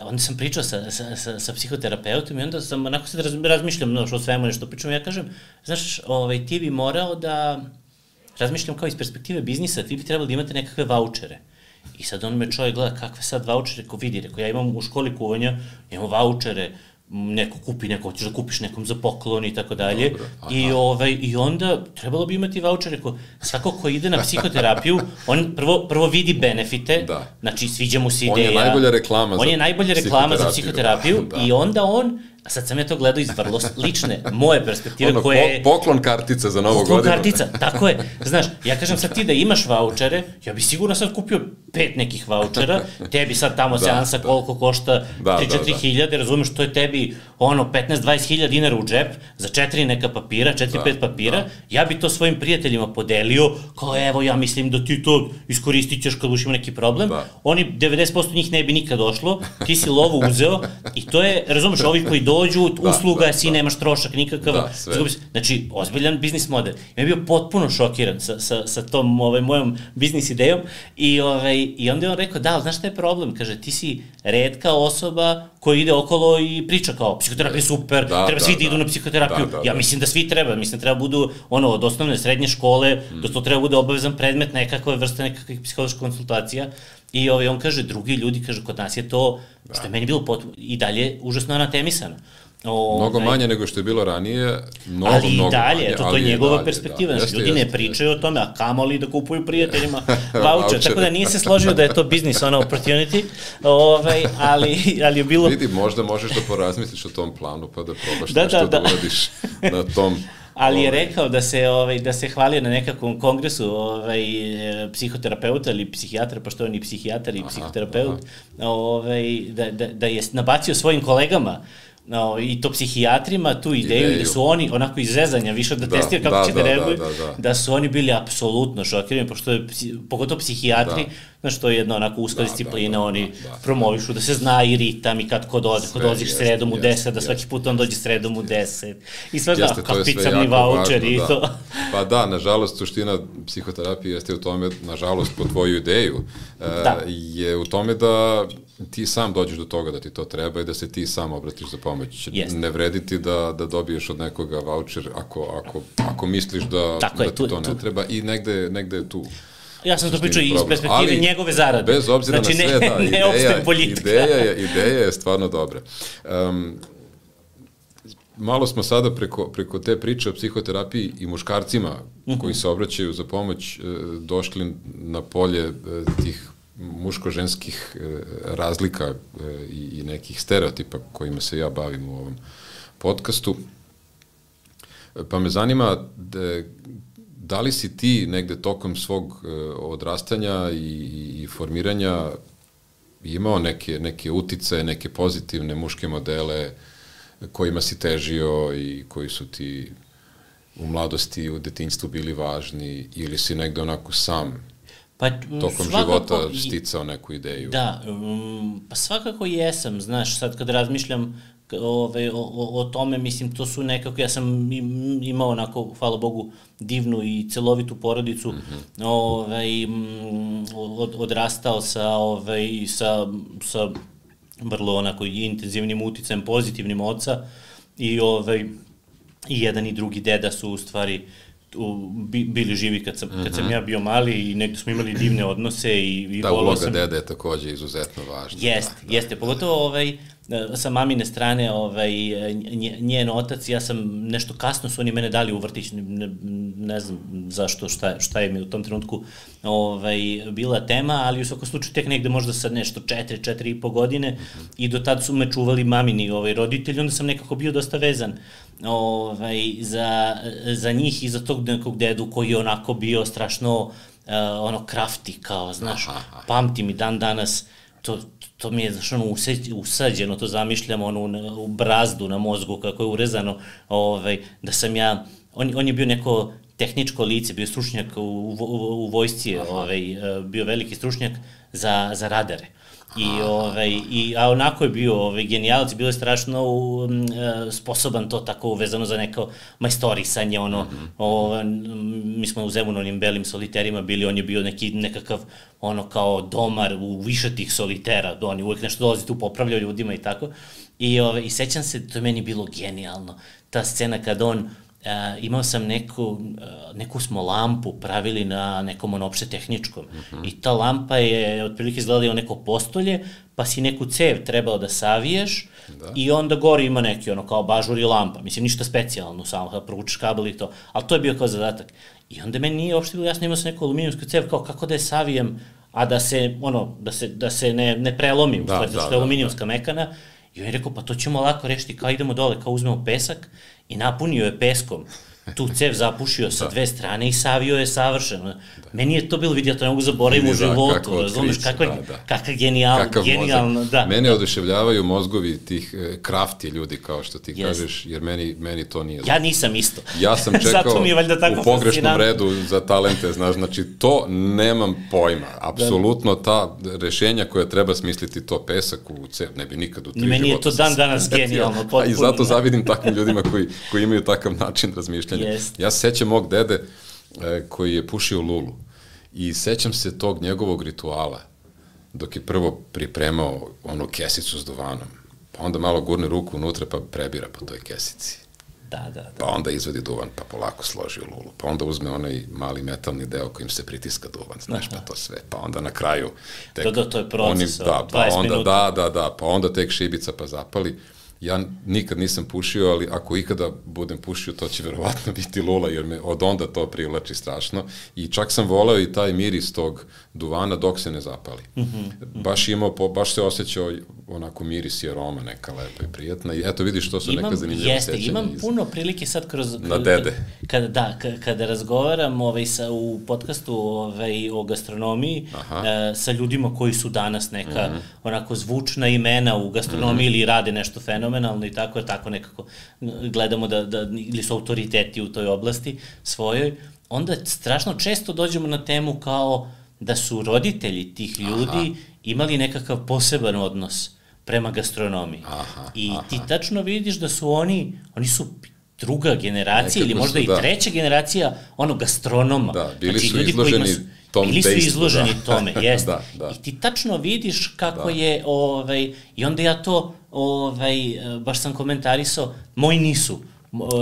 onda sam pričao sa, sa, sa, sa psihoterapeutom i onda sam onako sad raz, razmišljam no, što o svemu nešto pričam, ja kažem, znaš, ovaj, ti bi morao da razmišljam kao iz perspektive biznisa, ti bi trebali da imate nekakve vaučere. I sad on me čovjek gleda, kakve sad vaučere, ko vidi, rekao, ja imam u školi kuvanja, imam vaučere, neko kupi, neko hoćeš da kupiš nekom za poklon i tako dalje. I, ovaj, I onda trebalo bi imati vaučere, ko, svako ko ide na psihoterapiju, on prvo, prvo vidi benefite, da. Znači sviđa mu se ideja. On je najbolja reklama, on je najbolja reklama za psihoterapiju da, da. I onda on, a sad sam ja to gledao iz vrlo lične, moje perspektive ono, koje... Po, poklon kartica za novu godinu. Poklon kartica, tako je. Znaš, ja kažem sad ti da imaš vaučere, ja bi sigurno sad kupio pet nekih vaučera, tebi sad tamo da, seansa da. Koliko košta tri do četiri hiljade, razumeš, to je tebi ono petnaest do dvadeset hiljada dinara u džep, za četiri neka papira, četiri pet da, papira, da. Ja bi to svojim prijateljima podelio, kao evo ja mislim da ti to iskoristit ćeš kad budeš imao neki problem, da. Oni devedeset posto njih ne bi nikad došlo, ti si lovu uzeo i to je, razumeš, ovi koji dođu, da, usluga, da, si da. Nemaš trošak nikakav, da, znači ozbiljan biznis model. Ja bio potpuno šokiran sa, sa, sa tom ovaj, mojom biznis idejom i, ovaj, i onda je on rekao, da, znaš šta je problem? Kaže, ti si retka osoba koja ide okolo i priča kao, psihoterapija je super, da, treba da, svi da, da idu na psihoterapiju. Da, da, ja mislim da svi treba, mislim treba budu ono, od osnovne, srednje škole, mm. da to treba bude obavezan predmet, nekakve vrste nekakvih psiholoških konsultacija. I ovaj, on kaže, drugi ljudi, kaže, kod nas je to, da. Što je meni bilo potpuno, i dalje užasno anatemisano. O, mnogo ovaj, manje nego što je bilo ranije, mnogo, ali mnogo dalje, manje. Eto, to je njegova dalje, perspektiva, da, znači ljudi jeste, ne pričaju jeste. O tome, a kamoli da kupuju prijateljima voucher, tako da nije se složio da je to business on opportunity, ovaj, ali, ali je bilo... Vidi, možda možeš da porazmisliš o tom planu, pa da probaš da, nešto da, da. da uradiš na tom... Ali je rekao da se ovaj da se hvalio na nekakvom kongresu ovaj psihoterapeuta ili psihijatra, pošto on je psihijatar i aha, psihoterapeut, aha. Ovaj da, da da je nabacio svojim kolegama no, i to psihijatrima tu ideju, ideju. Da su oni onako iz zezanja više da, da testira kako da, će da, da reaguju, da, da, da. Da su oni bili apsolutno šokirani, pošto je, pogotovo psihijatri, da. Znaš, to je jedna onako uska da, disciplina, da, da, oni da, da. Promovišu da se zna i ritam i kad ko dođe, ko dođeš sredom u deset, da svaki put on dođe sredom u deset. I sve da, kapicamni voucher i to. Pa da, nažalost, suština psihoterapije jeste u tome, nažalost, po tvoju ideju, da. Je u tome da ti sam dođeš do toga da ti to treba i da se ti sam obratiš za pomoć. Yes. Ne vredi ti da, da dobiješ od nekoga voucher ako, ako, ako misliš da, da ti tu, to ne tu. Treba i negde, negde je tu. Ja sam to pričao iz perspektive ali, njegove zarade. Bez obzira znači, na sve, ne, da, ne ideja, politika. Ideja, je, ideja je stvarno dobra. Um, malo smo sada preko, preko te priče o psihoterapiji i muškarcima uh-huh. koji se obraćaju za pomoć došli na polje tih muško-ženskih razlika i, i nekih stereotipa kojima se ja bavim u ovom podcastu. Pa me zanima da, da li si ti negde tokom svog odrastanja i, i formiranja imao neke, neke utice, neke pozitivne muške modele kojima si težio i koji su ti u mladosti, u detinjstvu bili važni ili si negde onako sam pa, tokom života sticao neku ideju? Da, um, pa svakako jesam, znaš, sad kad razmišljam ove, o, o, o tome, mislim, to su nekako, ja sam imao onako, hvala Bogu, divnu i celovitu porodicu, mm-hmm. ove, od, odrastao sa, ove, sa, sa vrlo onako intenzivnim uticajem, pozitivnim oca i, ove, i jedan i drugi deda su u stvari u, bi, bili živi kad sam, mm-hmm. kad sam ja bio mali i negdje smo imali divne odnose i, i da, uloga sam... dede je također izuzetno važna. Jeste, da, jeste, da. Pogotovo ovaj, sa mamine strane, ovaj, njen otac, ja sam nešto kasno su oni mene dali u vrtić, ne, ne znam zašto, šta, šta je mi u tom trenutku ovaj, bila tema, ali u svakom slučaju tek negde možda sad nešto četiri, četiri i po godine mm-hmm. i do tad su me čuvali mamini ovaj, roditelji, onda sam nekako bio dosta vezan ovaj, za, za njih i za tog nekog dedu koji je onako bio strašno uh, ono krafti, kao, znaš, aha, aha. Pamtim i dan danas, to, to mi je, znaš, ono, usađeno, to zamišljam, ono, u brazdu na mozgu, kako je urezano, ovaj, da sam ja, on, on je bio neko tehničko lice, bio stručnjak u, u, u vojsci, ovaj, bio veliki stručnjak za, za radare. I, ovaj, i, a onako je bio ovaj, genijalac, bio je strašno um, sposoban to tako uvezano za neko majstorisanje, ono, mm-hmm. o, mi smo u Zemunu onim belim soliterima bili, on je bio neki, nekakav, ono, kao domar u više tih solitera, on je uvek nešto dolazi tu, popravljao ljudima i tako, i, ovaj, i sećam se, to je meni bilo genijalno, ta scena kad on, Uh, imao sam neku, uh, neku smo lampu pravili na nekom ono opšte tehničkom uh-huh. i ta lampa je otprilike izgledala neko postolje, pa si neku cev trebao da saviješ da. I onda gore ima neki ono kao bažur i lampa, mislim ništa specijalno, samo da provučeš kabel i to, ali to je bio kao zadatak. I onda meni nije uopšte bilo jasno, imao sam neku aluminijumsku cev, kao kako da je savijem, a da se, ono, da se, da se ne, ne prelomi, da, stvari, da, da, što je aluminijumska da. Mekana. I on je rekao, pa to ćemo lako rešiti, kao idemo dole, kao uzmemo pesak i napunio je peskom, tu cev zapušio sa dve strane i savio je savršeno. Da. Meni je to bilo, vidio, to ne mogu zaboraviti u životu, razumeš, kakva da, da. Kakav genijal, genijalno, da. Mene oduševljavaju mozgovi tih e, krafti ljudi, kao što ti yes. kažeš, jer meni, meni to nije. Ja nisam isto. Ja sam čekao u pogrešnom redu za talente, znaš, znači to nemam pojma. Apsolutno ta rešenja koja treba smisliti, to pesak u cev, ne bi nikad u tri života. Meni je to dan danas genijalno, potpuno. I zato zavidim takvim ljudima koji, koji imaju takav način razmišljanja. Yes. Ja se sećam mog dede e, koji je pušio lulu i sećam se tog njegovog rituala dok je prvo pripremao onu kesicu s duvanom, pa onda malo gurne ruku unutra pa prebira po toj kesici. Da, da, da. Pa onda izvadi duvan pa polako složi u lulu, pa onda uzme onaj mali metalni deo kojim se pritiska duvan, znaš, pa to sve, pa onda na kraju tek, da, da, to je proces, oni, da, pa onda, da, da, da, pa onda tek šibica pa zapali. Ja nikad nisam pušio, ali ako ikada budem pušio, to će verovatno biti lula, jer me od onda to privlači strašno. I čak sam voleo i taj miris tog duvana dok se ne zapali. Mm-hmm. Baš imao, baš se osjećao onako miris i aroma neka lepa i prijatna. I eto vidiš, to su imam, neka zanimljiva jeste, sećanja. Imam iz... puno prilike sad kroz... Na dede. Kada, da, kada razgovaram ovaj, sa, u podcastu ovaj, o gastronomiji e, sa ljudima koji su danas neka mm-hmm. onako zvučna imena u gastronomiji mm-hmm. ili rade nešto fenomenalno i tako, jer tako nekako gledamo da, da ili su autoriteti u toj oblasti svojoj, onda strašno često dođemo na temu kao da su roditelji tih ljudi aha. imali nekakav poseban odnos prema gastronomiji. Aha, I aha. ti tačno vidiš da su oni, oni su druga generacija nekako ili možda su, i da. treća generacija onog gastronoma. Da, bili znači, su ljudi izloženi su, tom bili su tejstu, izloženi da. tome, jeste. da, da. I ti tačno vidiš kako da. je, ovaj, i onda ja to, ovaj, baš sam komentarisao, moji nisu.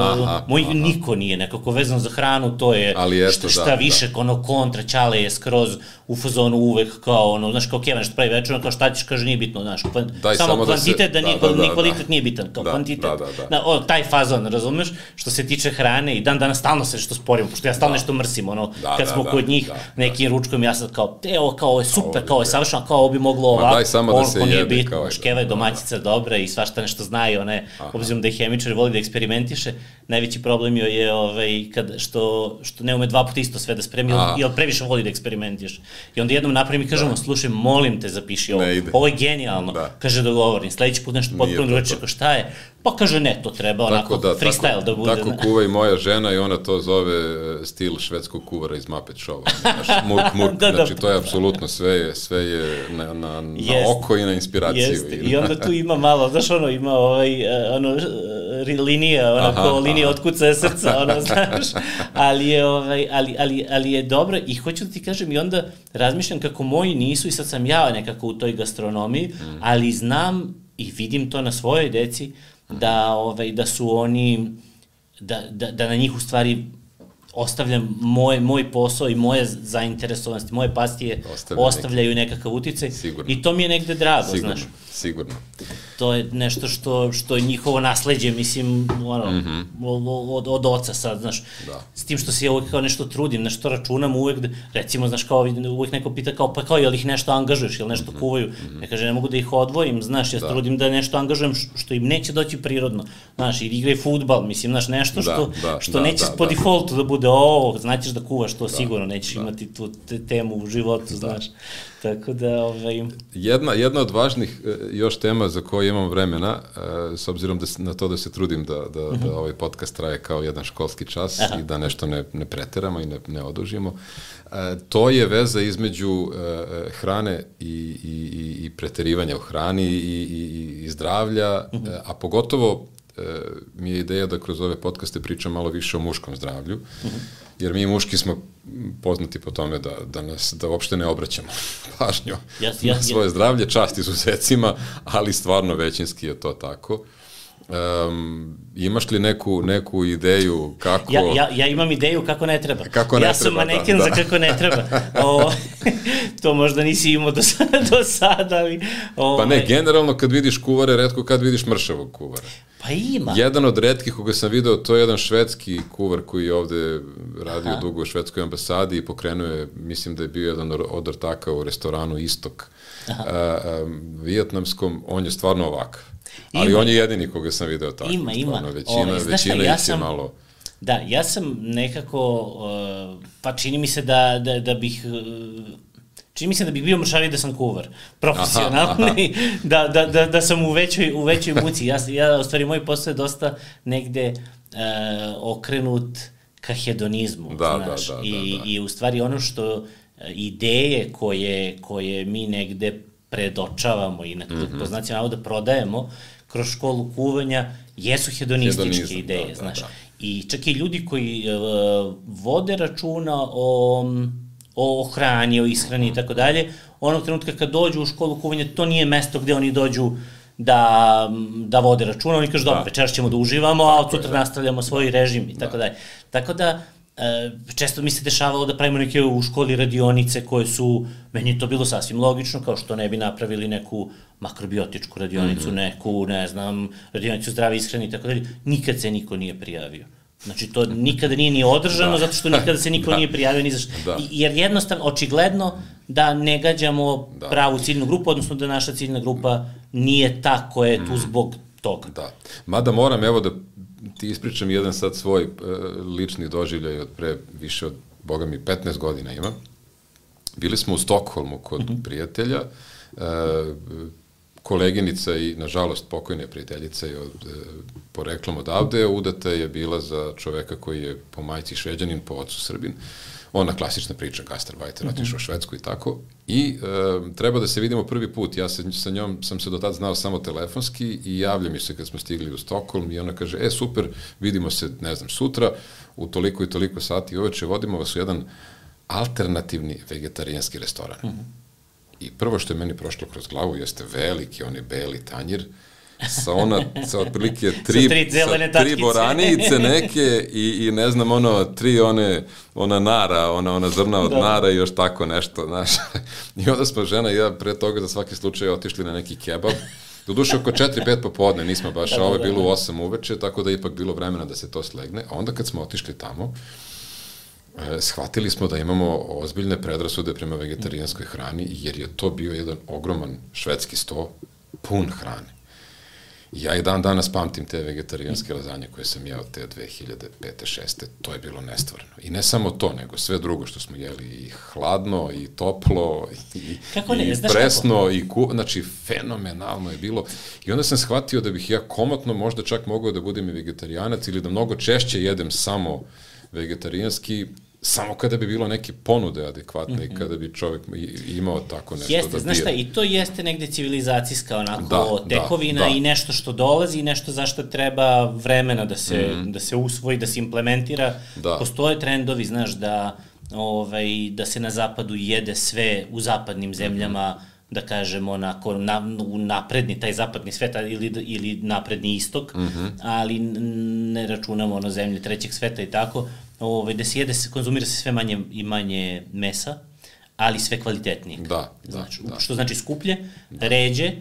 Aha, moj aha. niko nije nekako vezan za hranu, to je eto, šta, šta da, više, da. ono kontra, Ćale je skroz u fazonu uvek kao ono, znaš, kao Keva nešto pravi večer, kao šta ćeš, kaže, nije bitno, znaš, samo, samo kvantitet, da, se, da, nije, da, da, ni kvalitet da. nije bitan, kao da, kvantitet, da, da, da. Da, o, taj fazon, razumeš, što se tiče hrane i dan danas stalno se što sporimo, pošto ja stalno da. nešto mrsim, ono, da, kad smo da, kod njih, da, nekim da. ručkom, ja sad kao, evo, kao, ovo je super, kao, je savršeno, kao, ovo bi moglo ovako, ono, nije bitno, Keva je domaćica dobra i svašta nešto zna i one, obzirom da je hemičar, voli da eksperimentiše, najveći problem joj je ovaj, kad, što, što ne ume dva puta isto sve da spremi, jer previše voli da eksperimentiš. I onda jednom napravim i kažemo, slušaj, molim te, zapiši ovo. Ovo je genijalno. Da. Kaže, dogovorim. Sledeći put nešto potpuno drugačije, kao šta je? Pa kaže, ne, to treba onako da, freestyle tako, da bude. Tako kuva i moja žena i ona to zove stil švedskog kuvara iz Muppet Showa. Znaš, murk, murk, da, znači to je apsolutno sve je, sve je na, na, na oko i na inspiraciju. Jeste. I onda tu ima malo, znaš, ono, ima ovaj, ono, linija, onako, aha, linija otkucaje srca, ono, znaš, ali je, ovaj, ali, ali, ali je dobro i hoću da ti kažem i onda razmišljam kako moji nisu i sad sam ja nekako u toj gastronomiji, mm. ali znam i vidim to na svojoj deci, da, ovaj, da su oni, da, da, da na njih u stvari ostavljam moj, moj posao i moje zainteresovanosti, moje pastije Ostavlja ostavljaju neki. nekakav uticaj sigurno. I to mi je negde drago, sigurno. znaš. Sigurno. To je nešto što, što je njihovo nasleđe, mislim, ono, mm-hmm. od, od oca sad, znaš. Da. S tim što se ja uvek kao nešto trudim, nešto računam uvek, da, recimo, znaš, kao uvek neko pita kao, pa kao, jel ih nešto angažuješ, jel nešto mm-hmm. kuvaju? Mm-hmm. Ja kaže, ne mogu da ih odvojim, znaš, ja se da. trudim da nešto angažujem što im neće doći prirodno, znaš, ili igraj fudbal, mislim, znaš, nešto što, da, da, što da, neće da, po da. defaultu da bude, o, znaćeš da kuvaš to, da, sigurno, nećeš da. imati tu te, temu u životu, da. znaš. Tako da, ovaj... Jedna, jedna od važnih još tema za koje imam vremena, s obzirom da, na to da se trudim da, da, uh-huh. da ovaj podcast traje kao jedan školski čas Aha. i da nešto ne, ne preteramo i ne, ne odužimo, to je veza između hrane i, i, i preterivanja u hrani i, i, i zdravlja, uh-huh. a pogotovo mi je ideja da kroz ove podcaste pričam malo više o muškom zdravlju, uh-huh. jer mi muški smo poznati po tome da, da nas, da uopšte ne obraćamo pažnju yes, yes, na svoje yes. zdravlje, čast izuzecima, ali stvarno većinski je to tako. Um, imaš li neku, neku ideju kako... Ja, ja, ja imam ideju kako ne treba. Kako ne ja treba, sam maneken da, za da. kako ne treba. O, to možda nisi imao do sada, do sada ali... O, pa ne, generalno kad vidiš kuvare, retko kad vidiš mršavog kuvara. Pa ima. Jedan od retkih koga sam video, to je jedan švedski kuvar koji je ovde radio Aha. dugo u švedskoj ambasadi i pokrenuo je, mislim da je bio jedan od ortaka u restoranu Istok a, a, vijetnamskom, on je stvarno ovakav. Ali ima. On je jedini koga sam video tako. Ima, ima. Stvarno, većina, Ove, većina šta, ja ih sam, je malo... Da, ja sam nekako, uh, pa čini mi se da, da, da bih... Uh, Čini mi se da bih bio mršaviji da sam kuvar, profesionalni, da, da, da, da sam u većoj, u većoj muci. Ja, ja, u stvari, moj posao je dosta negde e, okrenut ka hedonizmu, da, znaš. Da, da, I, da, da. I u stvari ono što ideje koje, koje mi negde predočavamo i na mm-hmm. po znacima navoda prodajemo kroz školu kuvanja jesu hedonističke Hedonizam, ideje, da, znaš. Da, da. I čak i ljudi koji e, vode računa o... o hrani, o ishrani i tako dalje, onog trenutka kad dođu u školu kuvanja, to nije mesto gde oni dođu da, da vode računa, oni kažu, dobro, večeras ćemo da uživamo, a od sutra nastavljamo svoj režim i tako dalje. Tako da, često mi se dešavalo da pravimo neke u školi radionice koje su, meni je to bilo sasvim logično, kao što ne bi napravili neku makrobiotičku radionicu, mm-hmm. neku, ne znam, radionicu zdrave ishrane i tako dalje, nikad se niko nije prijavio. Znači, to nikada nije ni održano, da. Zato što nikada se niko da. Nije prijavio ni za što. Da. Jer jednostavno, očigledno da ne gađamo da. Pravu ciljnu grupu, odnosno da naša ciljna grupa nije ta koja je tu zbog toga. Da. Mada moram, evo da ti ispričam jedan sad svoj uh, lični doživljaj od pre više od, boga mi, petnaest godina ima. Bili smo u Stokholmu kod mm-hmm. prijatelja, uh, koleginica i, nažalost, pokojna prijateljica je od, e, poreklom odavde, udata je bila za čoveka koji je po majci Šveđanin, po ocu Srbin. Ona klasična priča, gastarbajter, mm-hmm. otišao u Švedsku i tako. I e, treba da se vidimo prvi put. Ja se, sa njom sam se do tada znao samo telefonski i javlja mi se kad smo stigli u Stokholm i ona kaže, e, super, vidimo se, ne znam, sutra, u toliko i toliko sati uveče, vodimo vas u jedan alternativni vegetarijanski restoran. Mm-hmm. I prvo što je meni prošlo kroz glavu jeste veliki, onaj beli tanjir, sa ona, sa otprilike tri, tri, sa tri boranice neke i, i ne znam, ono, tri one, ona nara, ona, ona zrna od da. Nara i još tako nešto, znaš. I onda smo žena i ja pre toga za svaki slučaj otišli na neki kebab. Doduše oko četiri pet popodne, nismo baš, a ovo je bilo u osam uveče, tako da je ipak bilo vremena da se to slegne. A onda kad smo otišli tamo, shvatili smo da imamo ozbiljne predrasude prema vegetarijanskoj hrani, jer je to bio jedan ogroman švedski sto pun hrane. I ja i dan danas pamtim te vegetarijanske lazanje koje sam jeo te dve hiljade pete šeste. To je bilo nestvarno. I ne samo to, nego sve drugo što smo jeli, i hladno, i toplo, i, ne, i presno, i ku... znači, fenomenalno je bilo. I onda sam shvatio da bih ja komotno možda čak mogao da budem i vegetarijanac ili da mnogo češće jedem samo vegetarijanski, samo kada bi bilo neke ponude adekvatne mm-hmm. i kada bi čovjek imao tako nešto jeste, da znaš šta, i to jeste negde civilizacijska onako da, tekovina da, da. I nešto što dolazi i nešto zašto treba vremena da se, mm-hmm. da se usvoji, da se implementira. Da. Postoje trendovi, znaš, da, ovaj, da se na zapadu jede sve u zapadnim zemljama, mm-hmm. da kažemo, onako, na, napredni, taj zapadni sveta ili, ili napredni istok, mm-hmm. ali ne računamo ono zemlje trećeg sveta i tako, ovaj, da se jede, se konzumira se sve manje i manje mesa, ali sve kvalitetnije. Da, znači, da. Što znači skuplje, da. Ređe,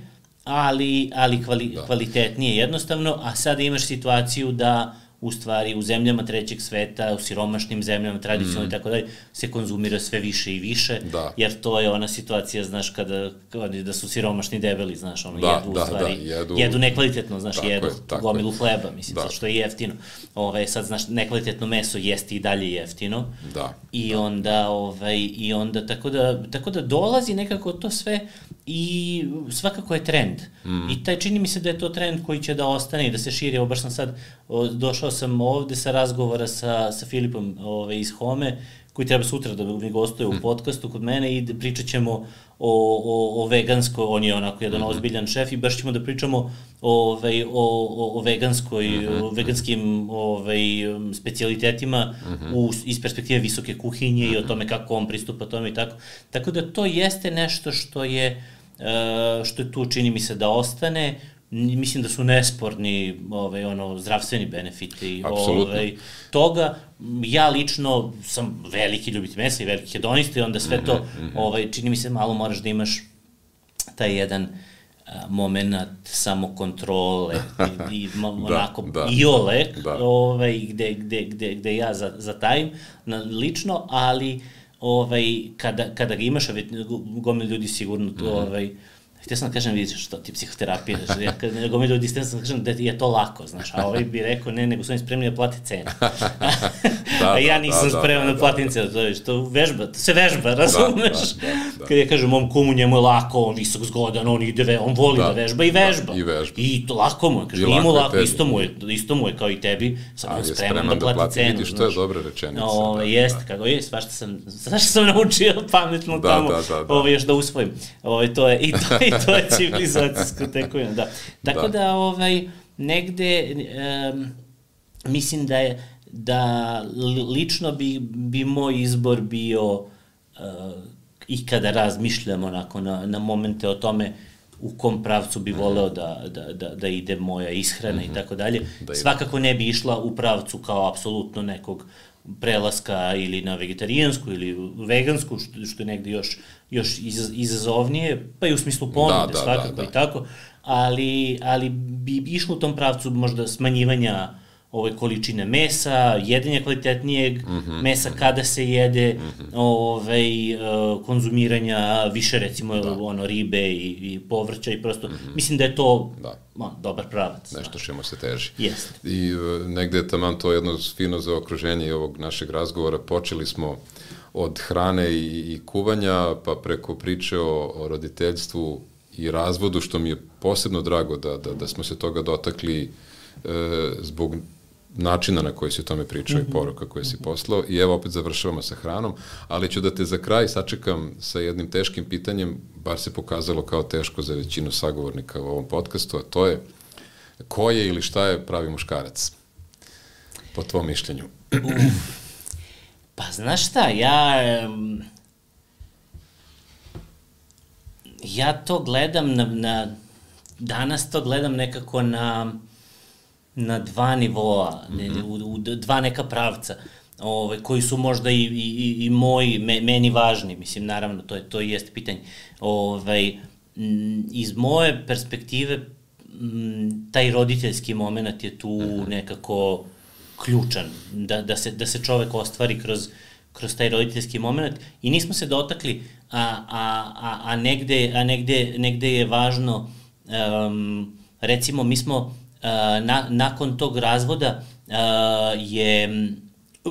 ali, ali kvali, da. Kvalitetnije jednostavno, a sada imaš situaciju da u stvari u zemljama trećeg sveta, u siromašnim zemljama, tradicionalno i tako dalje, se konzumira sve više i više, Da. jer to je ona situacija, znaš, kada, kada da su siromašni debeli, znaš, ono, Da, jedu da, u stvari, da, jedu- jedu nekvalitetno, znaš, Tako jedu je, tako gomilu je. hleba, mislim, Da. zato što je jeftino. Ove, sad, znaš, nekvalitetno meso jeste i dalje jeftino. Da. I onda, ovaj, i onda, tako da, tako da dolazi nekako to sve i svakako je trend. Mm. I taj, čini mi se da je to trend koji će da ostane i da se širi. Evo, baš sam sad, o, došao sam ovde sa razgovora sa, sa Filipom ovaj, iz Home, koji treba sutra da mi gostuje u podcastu kod mene i da pričat ćemo o, o, o veganskoj, on je onako jedan Mm-hmm. ozbiljan šef i baš ćemo da pričamo ovaj, o, o, o veganskoj, Mm-hmm. o veganskim ovaj, specijalitetima Mm-hmm. u, iz perspektive visoke kuhinje i o tome kako on pristupa tome i tako. Tako da to jeste nešto što je, uh, što je tu, čini mi se, da ostane. N- Mislim da su nesporni ovaj, ono, zdravstveni benefiti Apsolutno. ovaj, toga. Ja lično sam veliki ljubitelj mesa i veliki hedonista i onda sve to, ovaj, čini mi se, malo moraš da imaš taj jedan moment samokontrole i, i ma- Da, onako da. iole, Da. ovaj, gde, gde, gde, gde ja za- zatajim na, lično, ali ovaj, kada, kada ga imaš, a već gomil ljudi sigurno to, ovaj, htio sam da kažem, vidiš što ti psihoterapija, znači, ja kad gomil ljudi, htio sam da kažem da je to lako, znaš, a ovaj bi rekao, ne, nego su oni spremni da plate cenu. Da, a ja da, nisam da, spreman da, da platim cenu, to je što vežba, to se vežba, razumeš? da, da, da. Kad ja kažem, mom kumu njemu je lako, on visok zgodan, on ide, ve, on voli da, Da, vežba i da, vežba. i vežba. I to lako mu je, kaže, I nije mu lako je lako, tebi. isto mu je, isto mu je kao i tebi, sam Ali je je spreman da plati cenu. Vidiš, to je znaš. dobra rečenica. O, da, jeste, da. kako je, svašta sam, svašta sam naučio pametno Da, tamo, da, da, da. ovo još da usvojim. Ovo, to je, i, to, I to je civilizacijsko tekovina, da. Tako da, Da. ovaj, negde, um, mislim da je, da li- lično bi, bi moj izbor bio, uh, i kada razmišljam onako na, na momente o tome u kom pravcu bi voleo da, da, da, da ide moja ishrana i tako dalje. Da ide. Svakako ne bi išla u pravcu kao apsolutno nekog prelaska ili na vegetarijansku ili vegansku, što, što je negde još, još iz, izazovnije, pa i u smislu ponude, Da, da, svakako da, da. i tako, ali, ali bi išlo u tom pravcu možda smanjivanja ove količine mesa, jedenja kvalitetnijeg Mhm, mesa kada se jede, ovaj, e, konzumiranja više recimo ono ribe i, i povrća i prosto, mislim da je to Da. ma, dobar pravac. Nešto čemu se teži. Jeste. I e, negde je taman to jedno fino zaokruženje i ovog našeg razgovora. Počeli smo od hrane i, i kuvanja, pa preko priče o, o roditeljstvu i razvodu, što mi je posebno drago da, da, da smo se toga dotakli e, zbog načina na koji si o tome pričao i poruka koje si poslao. I evo opet završavamo sa hranom, ali ću da te za kraj sačekam sa jednim teškim pitanjem, bar se pokazalo kao teško za većinu sagovornika u ovom podcastu, a to je ko je ili šta je pravi muškarac? Po tvom mišljenju. Pa znaš šta, ja... em, Ja to gledam na, na... Danas to gledam nekako na... na dva nivoa, ne, u, u dva neka pravca, ovaj, koji su možda i, i, i moji, me, meni važni, mislim, naravno, to, je, to i jeste pitanje. Ovaj, m, iz moje perspektive, m, taj roditeljski moment je tu nekako ključan, da, da, se, da se čovek ostvari kroz, kroz taj roditeljski moment i nismo se dotakli, a, a, a, a, negde, a negde, negde je važno, um, recimo, mi smo Uh, na, nakon tog razvoda uh, je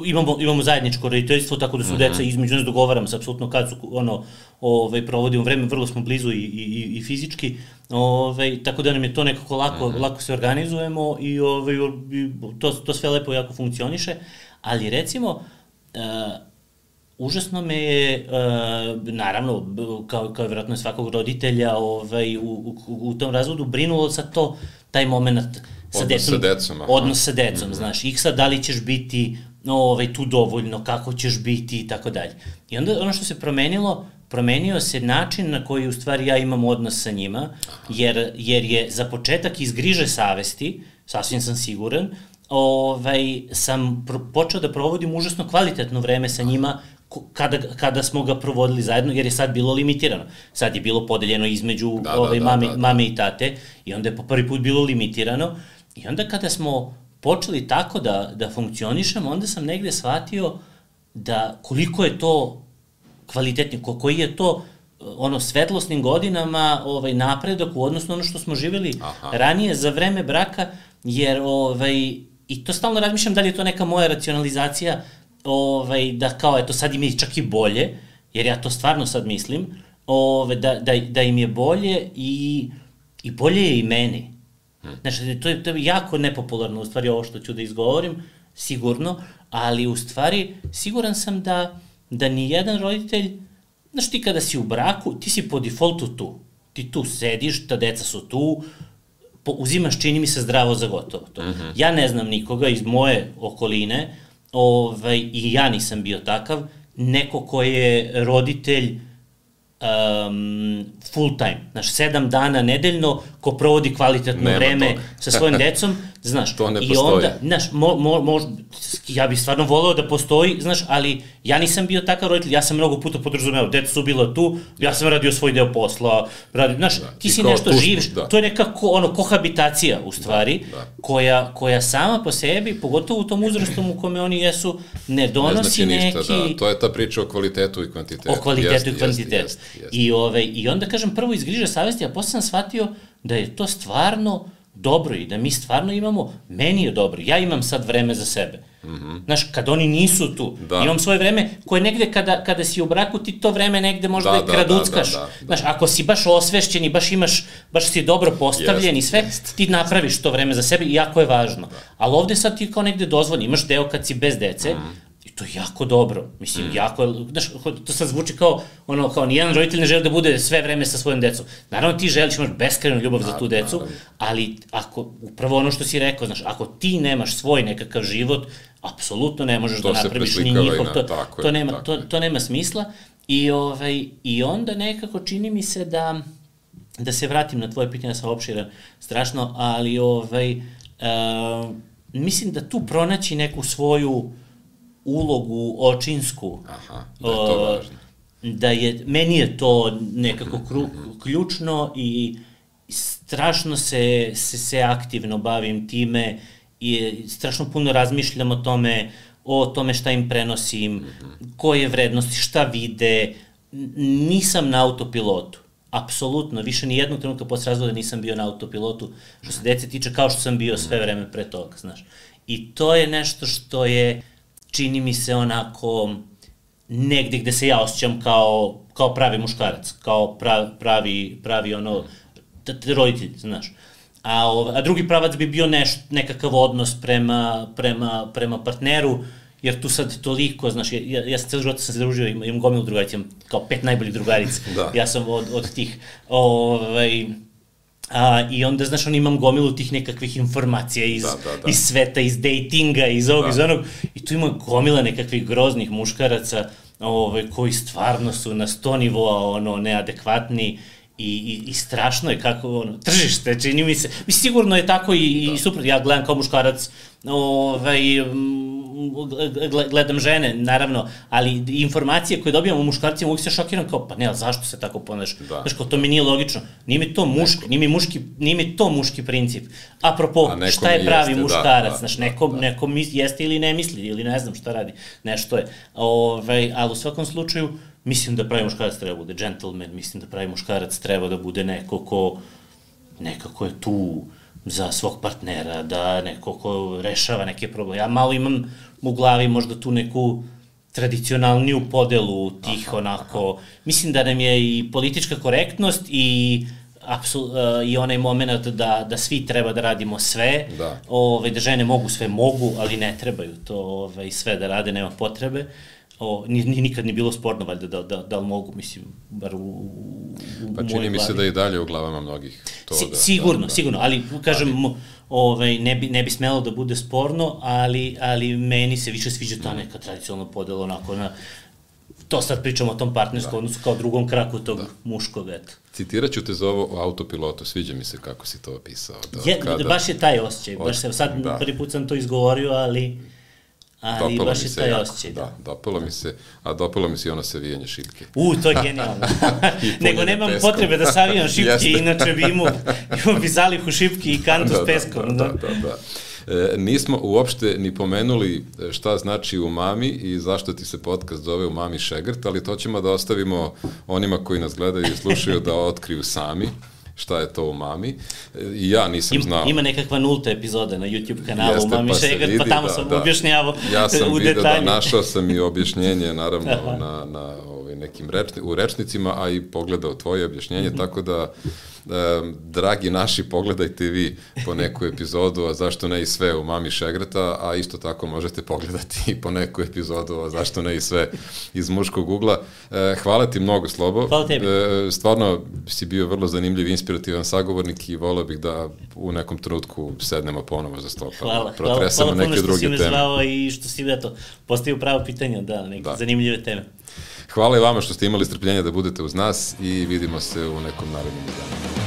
imamo imamo zajedničko roditeljstvo, tako da su Mhm. deca između nas, dogovaramo se apsolutno kad su ono ovaj provodimo vreme, vrlo smo blizu i i i fizički. Ovaj tako da nam je to nekako lako Mhm. lako se organizujemo i ovaj i to to sve lepo jako funkcioniše, ali recimo uh, užasno me je, uh, naravno, b- kao, kao vjerojatno svakog roditelja ovaj, u, u, u tom razvodu, brinulo sa to, taj moment sa Odnos decom. sa decom, aha. Odnos sa decom, znaš, ih sad da li ćeš biti ovaj, tu dovoljno, kako ćeš biti i tako dalje. I onda ono što se promenilo, promenio se način na koji u stvari ja imam odnos sa njima, jer, jer je za početak iz griže savesti, sasvim sam siguran, ovaj, sam pro, počeo da provodim užasno kvalitetno vreme sa njima ko- kada, kada smo ga provodili zajedno, jer je sad bilo limitirano. Sad je bilo podeljeno između Da, da, ovaj, da, mame, da, da. mame i tate i onda je po prvi put bilo limitirano i onda kada smo počeli tako da, da funkcionišemo, onda sam negde shvatio da koliko je to kvalitetni, koji je to ono svetlosnim godinama ovaj napredak u odnosu na ono što smo živjeli Aha. ranije za vreme braka, jer ovaj i to stalno razmišljam da li je to neka moja racionalizacija, ovaj da kao eto sad im je čak i bolje, jer ja to stvarno sad mislim, ovaj da da da im je bolje i i bolje je i meni. Hmm. Znači to je to je jako nepopularno u stvari ovo što ću da izgovorim, sigurno, ali u stvari siguran sam da da ni jedan roditelj, znaš ti kada si u braku, ti si po defaultu tu. Ti tu sediš, ta deca su tu, po, uzimaš, čini mi se, zdravo za gotovo to. Mm-hmm. Ja ne znam nikoga iz moje okoline, ovaj, i ja nisam bio takav, neko ko je roditelj um, full time, znaš, sedam dana nedeljno, ko provodi kvalitetno Nema vreme toga. Sa svojim decom, znaš, to ne i postoji. onda, znaš, mo, mo, mo, ja bih stvarno voleo da postoji, znaš, ali ja nisam bio takav roditelj, ja sam mnogo puta podrazumeo, deca su bila tu, ja sam radio svoj deo posla, radio, znaš, da. ti si nešto tužno, živiš, da. To je neka ko, ono, kohabitacija u stvari, da, da. Koja, koja sama po sebi, pogotovo u tom uzrastu u kome oni jesu, ne donosi ne znači ništa, neki... Da. To je ta priča o kvalitetu i kvantitetu. O kvalitetu jest, i kvantitetu. Jest, jest, jest. I, ove, I onda, kažem, prvo iz griže savesti, a posle sam shvatio da je to stvarno dobro i da mi stvarno imamo, meni je dobro, ja imam sad vreme za sebe. Mm-hmm. Znaš, kad oni nisu tu, da. Imam svoje vreme koje negde kada, kada si u braku ti to vreme negde možda da, i kraduckaš. Da, da, da, da. Znaš, ako si baš osvešćen i baš imaš, baš si dobro postavljen jest, i sve, jest. Ti napraviš to vreme za sebe i jako je važno. Da. Ali ovde sad ti kao negde dozvoljni, imaš deo kad si bez dece, mm. i to je jako dobro, mislim, mm. jako je, znaš, to sad zvuči kao, ono, kao nijedan roditelj ne želi da bude sve vreme sa svojom decom. Naravno ti želiš, imaš beskrajnu ljubav za tu decu, ali ako, upravo ono što si rekao, znaš, ako ti nemaš svoj nekakav život, apsolutno ne možeš to da napraviš ni njihov, to, to, je, nema, to, to nema smisla. I, ovaj, I onda nekako čini mi se da, da se vratim na tvoje pitanje, sam opširan strašno, ali ovaj, uh, mislim da tu pronaći neku svoju ulogu očinsku. Aha, da je to važno. Da je, meni je to nekako kru, ključno i strašno se, se, se aktivno bavim time i strašno puno razmišljam o tome, o tome šta im prenosim, mm-hmm. koje vrednosti, šta vide. Nisam na autopilotu. Apsolutno, više ni jednog trenutka posle razvoda nisam bio na autopilotu, što se dece tiče, kao što sam bio sve vreme pre toga, znaš. I to je nešto što je, čini mi se onako, negde gde se ja osjećam kao, kao pravi muškarac, kao pravi, pravi, pravi ono, roditelj, znaš. A, a drugi pravac bi bio neš, nekakav odnos prema, prema, prema partneru, jer tu sad toliko, znaš, ja, ja sam celo života sam se družio, imam, imam gomilu drugarica, imam kao pet najboljih drugarica, da. Ja sam od, od tih, ovaj, a, i onda, znaš, on imam gomilu tih nekakvih informacija iz, da, da, da. iz sveta, iz datinga, iz ovog, da. Iz onog, i tu ima gomila nekakvih groznih muškaraca, ovaj, koji stvarno su na sto nivoa, ono, neadekvatni, I, i, i strašno je kako, ono, tržište, čini mi se, mi sigurno je tako i, i super, ja gledam kao muškarac, ovaj, gledam žene, naravno, ali informacije koje dobijam u muškarcima uvijek se šokiram kao, pa ne, ali zašto se tako ponaš? Da. Znaš, kao, to mi nije logično, nije mi to muški, nije mi muški, nije mi to muški princip. Apropo, šta je pravi jeste, muškarac, da, znaš, da, neko, da. neko mis, jeste ili ne misli, ili ne znam šta radi, nešto je, ovaj, ali u svakom slučaju, mislim da pravi muškarac treba da bude gentleman, mislim da pravi muškarac treba da bude neko ko nekako je tu za svog partnera, da neko ko rešava neke probleme. Ja malo imam u glavi možda tu neku tradicionalniju podelu tih aha, onako, aha. Mislim da nam je i politička korektnost i apsul, uh, i onaj moment da, da svi treba da radimo sve, da. Ove, da žene mogu sve, mogu, ali ne trebaju to ove, sve da rade, nema potrebe. O, ni, nikad ni bilo sporno, valjda, da, da, da li mogu, mislim, bar u, u Pa čini mi se da i dalje u glavama mnogih to si, da... Sigurno, da, da, sigurno, ali, kažem, ali... Ovaj, ne, bi, ne bi smelo da bude sporno, ali, ali meni se više sviđa ta neka tradicionalna podela, onako, na, to sad pričamo o tom partnerskom da. Odnosu kao drugom kraku tog da. Muškog, eto. Citirat ću te za ovo o autopilotu, sviđa mi se kako si to opisao. Da, je, kada... Baš je taj osjećaj, baš se, sad da. Prvi put sam to izgovorio, ali... Ali dopalo baš je taj osjećaj. Da, dopalo mi se, a dopalo mi se i ono savijanje šipke. U, to je genijalno. Nego nemam peskom. Potrebe da savijam šipke, inače bi imao, imao bi zalihu šipke i kantu da, s peskom. Da, da, da, da. E, nismo uopšte ni pomenuli šta znači umami i zašto ti se podcast zove Umami šegrt, ali to ćemo da ostavimo onima koji nas gledaju i slušaju da otkriju sami šta je to umami. I ja nisam Im, znao. Ima nekakva nulta epizoda na YouTube kanalu Jeste, Umami pa se šegrt, vidi, pa tamo da, sam da. objašnjavao Ja sam u vidio detalju. da našao sam i objašnjenje, naravno, na, na ovaj, nekim rečni, u rečnicima, a i pogledao tvoje objašnjenje, tako da Um, dragi naši, pogledajte vi po neku epizodu, a zašto ne i sve Umami šegrta, a isto tako možete pogledati i po neku epizodu, a zašto ne i sve iz muškog ugla. E, hvala ti mnogo, Slobo. Hvala tebi. E, stvarno si bio vrlo zanimljiv, inspirativan sagovornik i volao bih da u nekom trenutku sednemo ponovo za sto, pa hvala, protresamo hvala, hvala neke druge teme. Hvala puno što si me zvao i što si eto, postavio pravo pitanje, da, neke Da. zanimljive teme. Hvala i vama što ste imali strpljenja da budete uz nas i vidimo se u nekom narednom danu.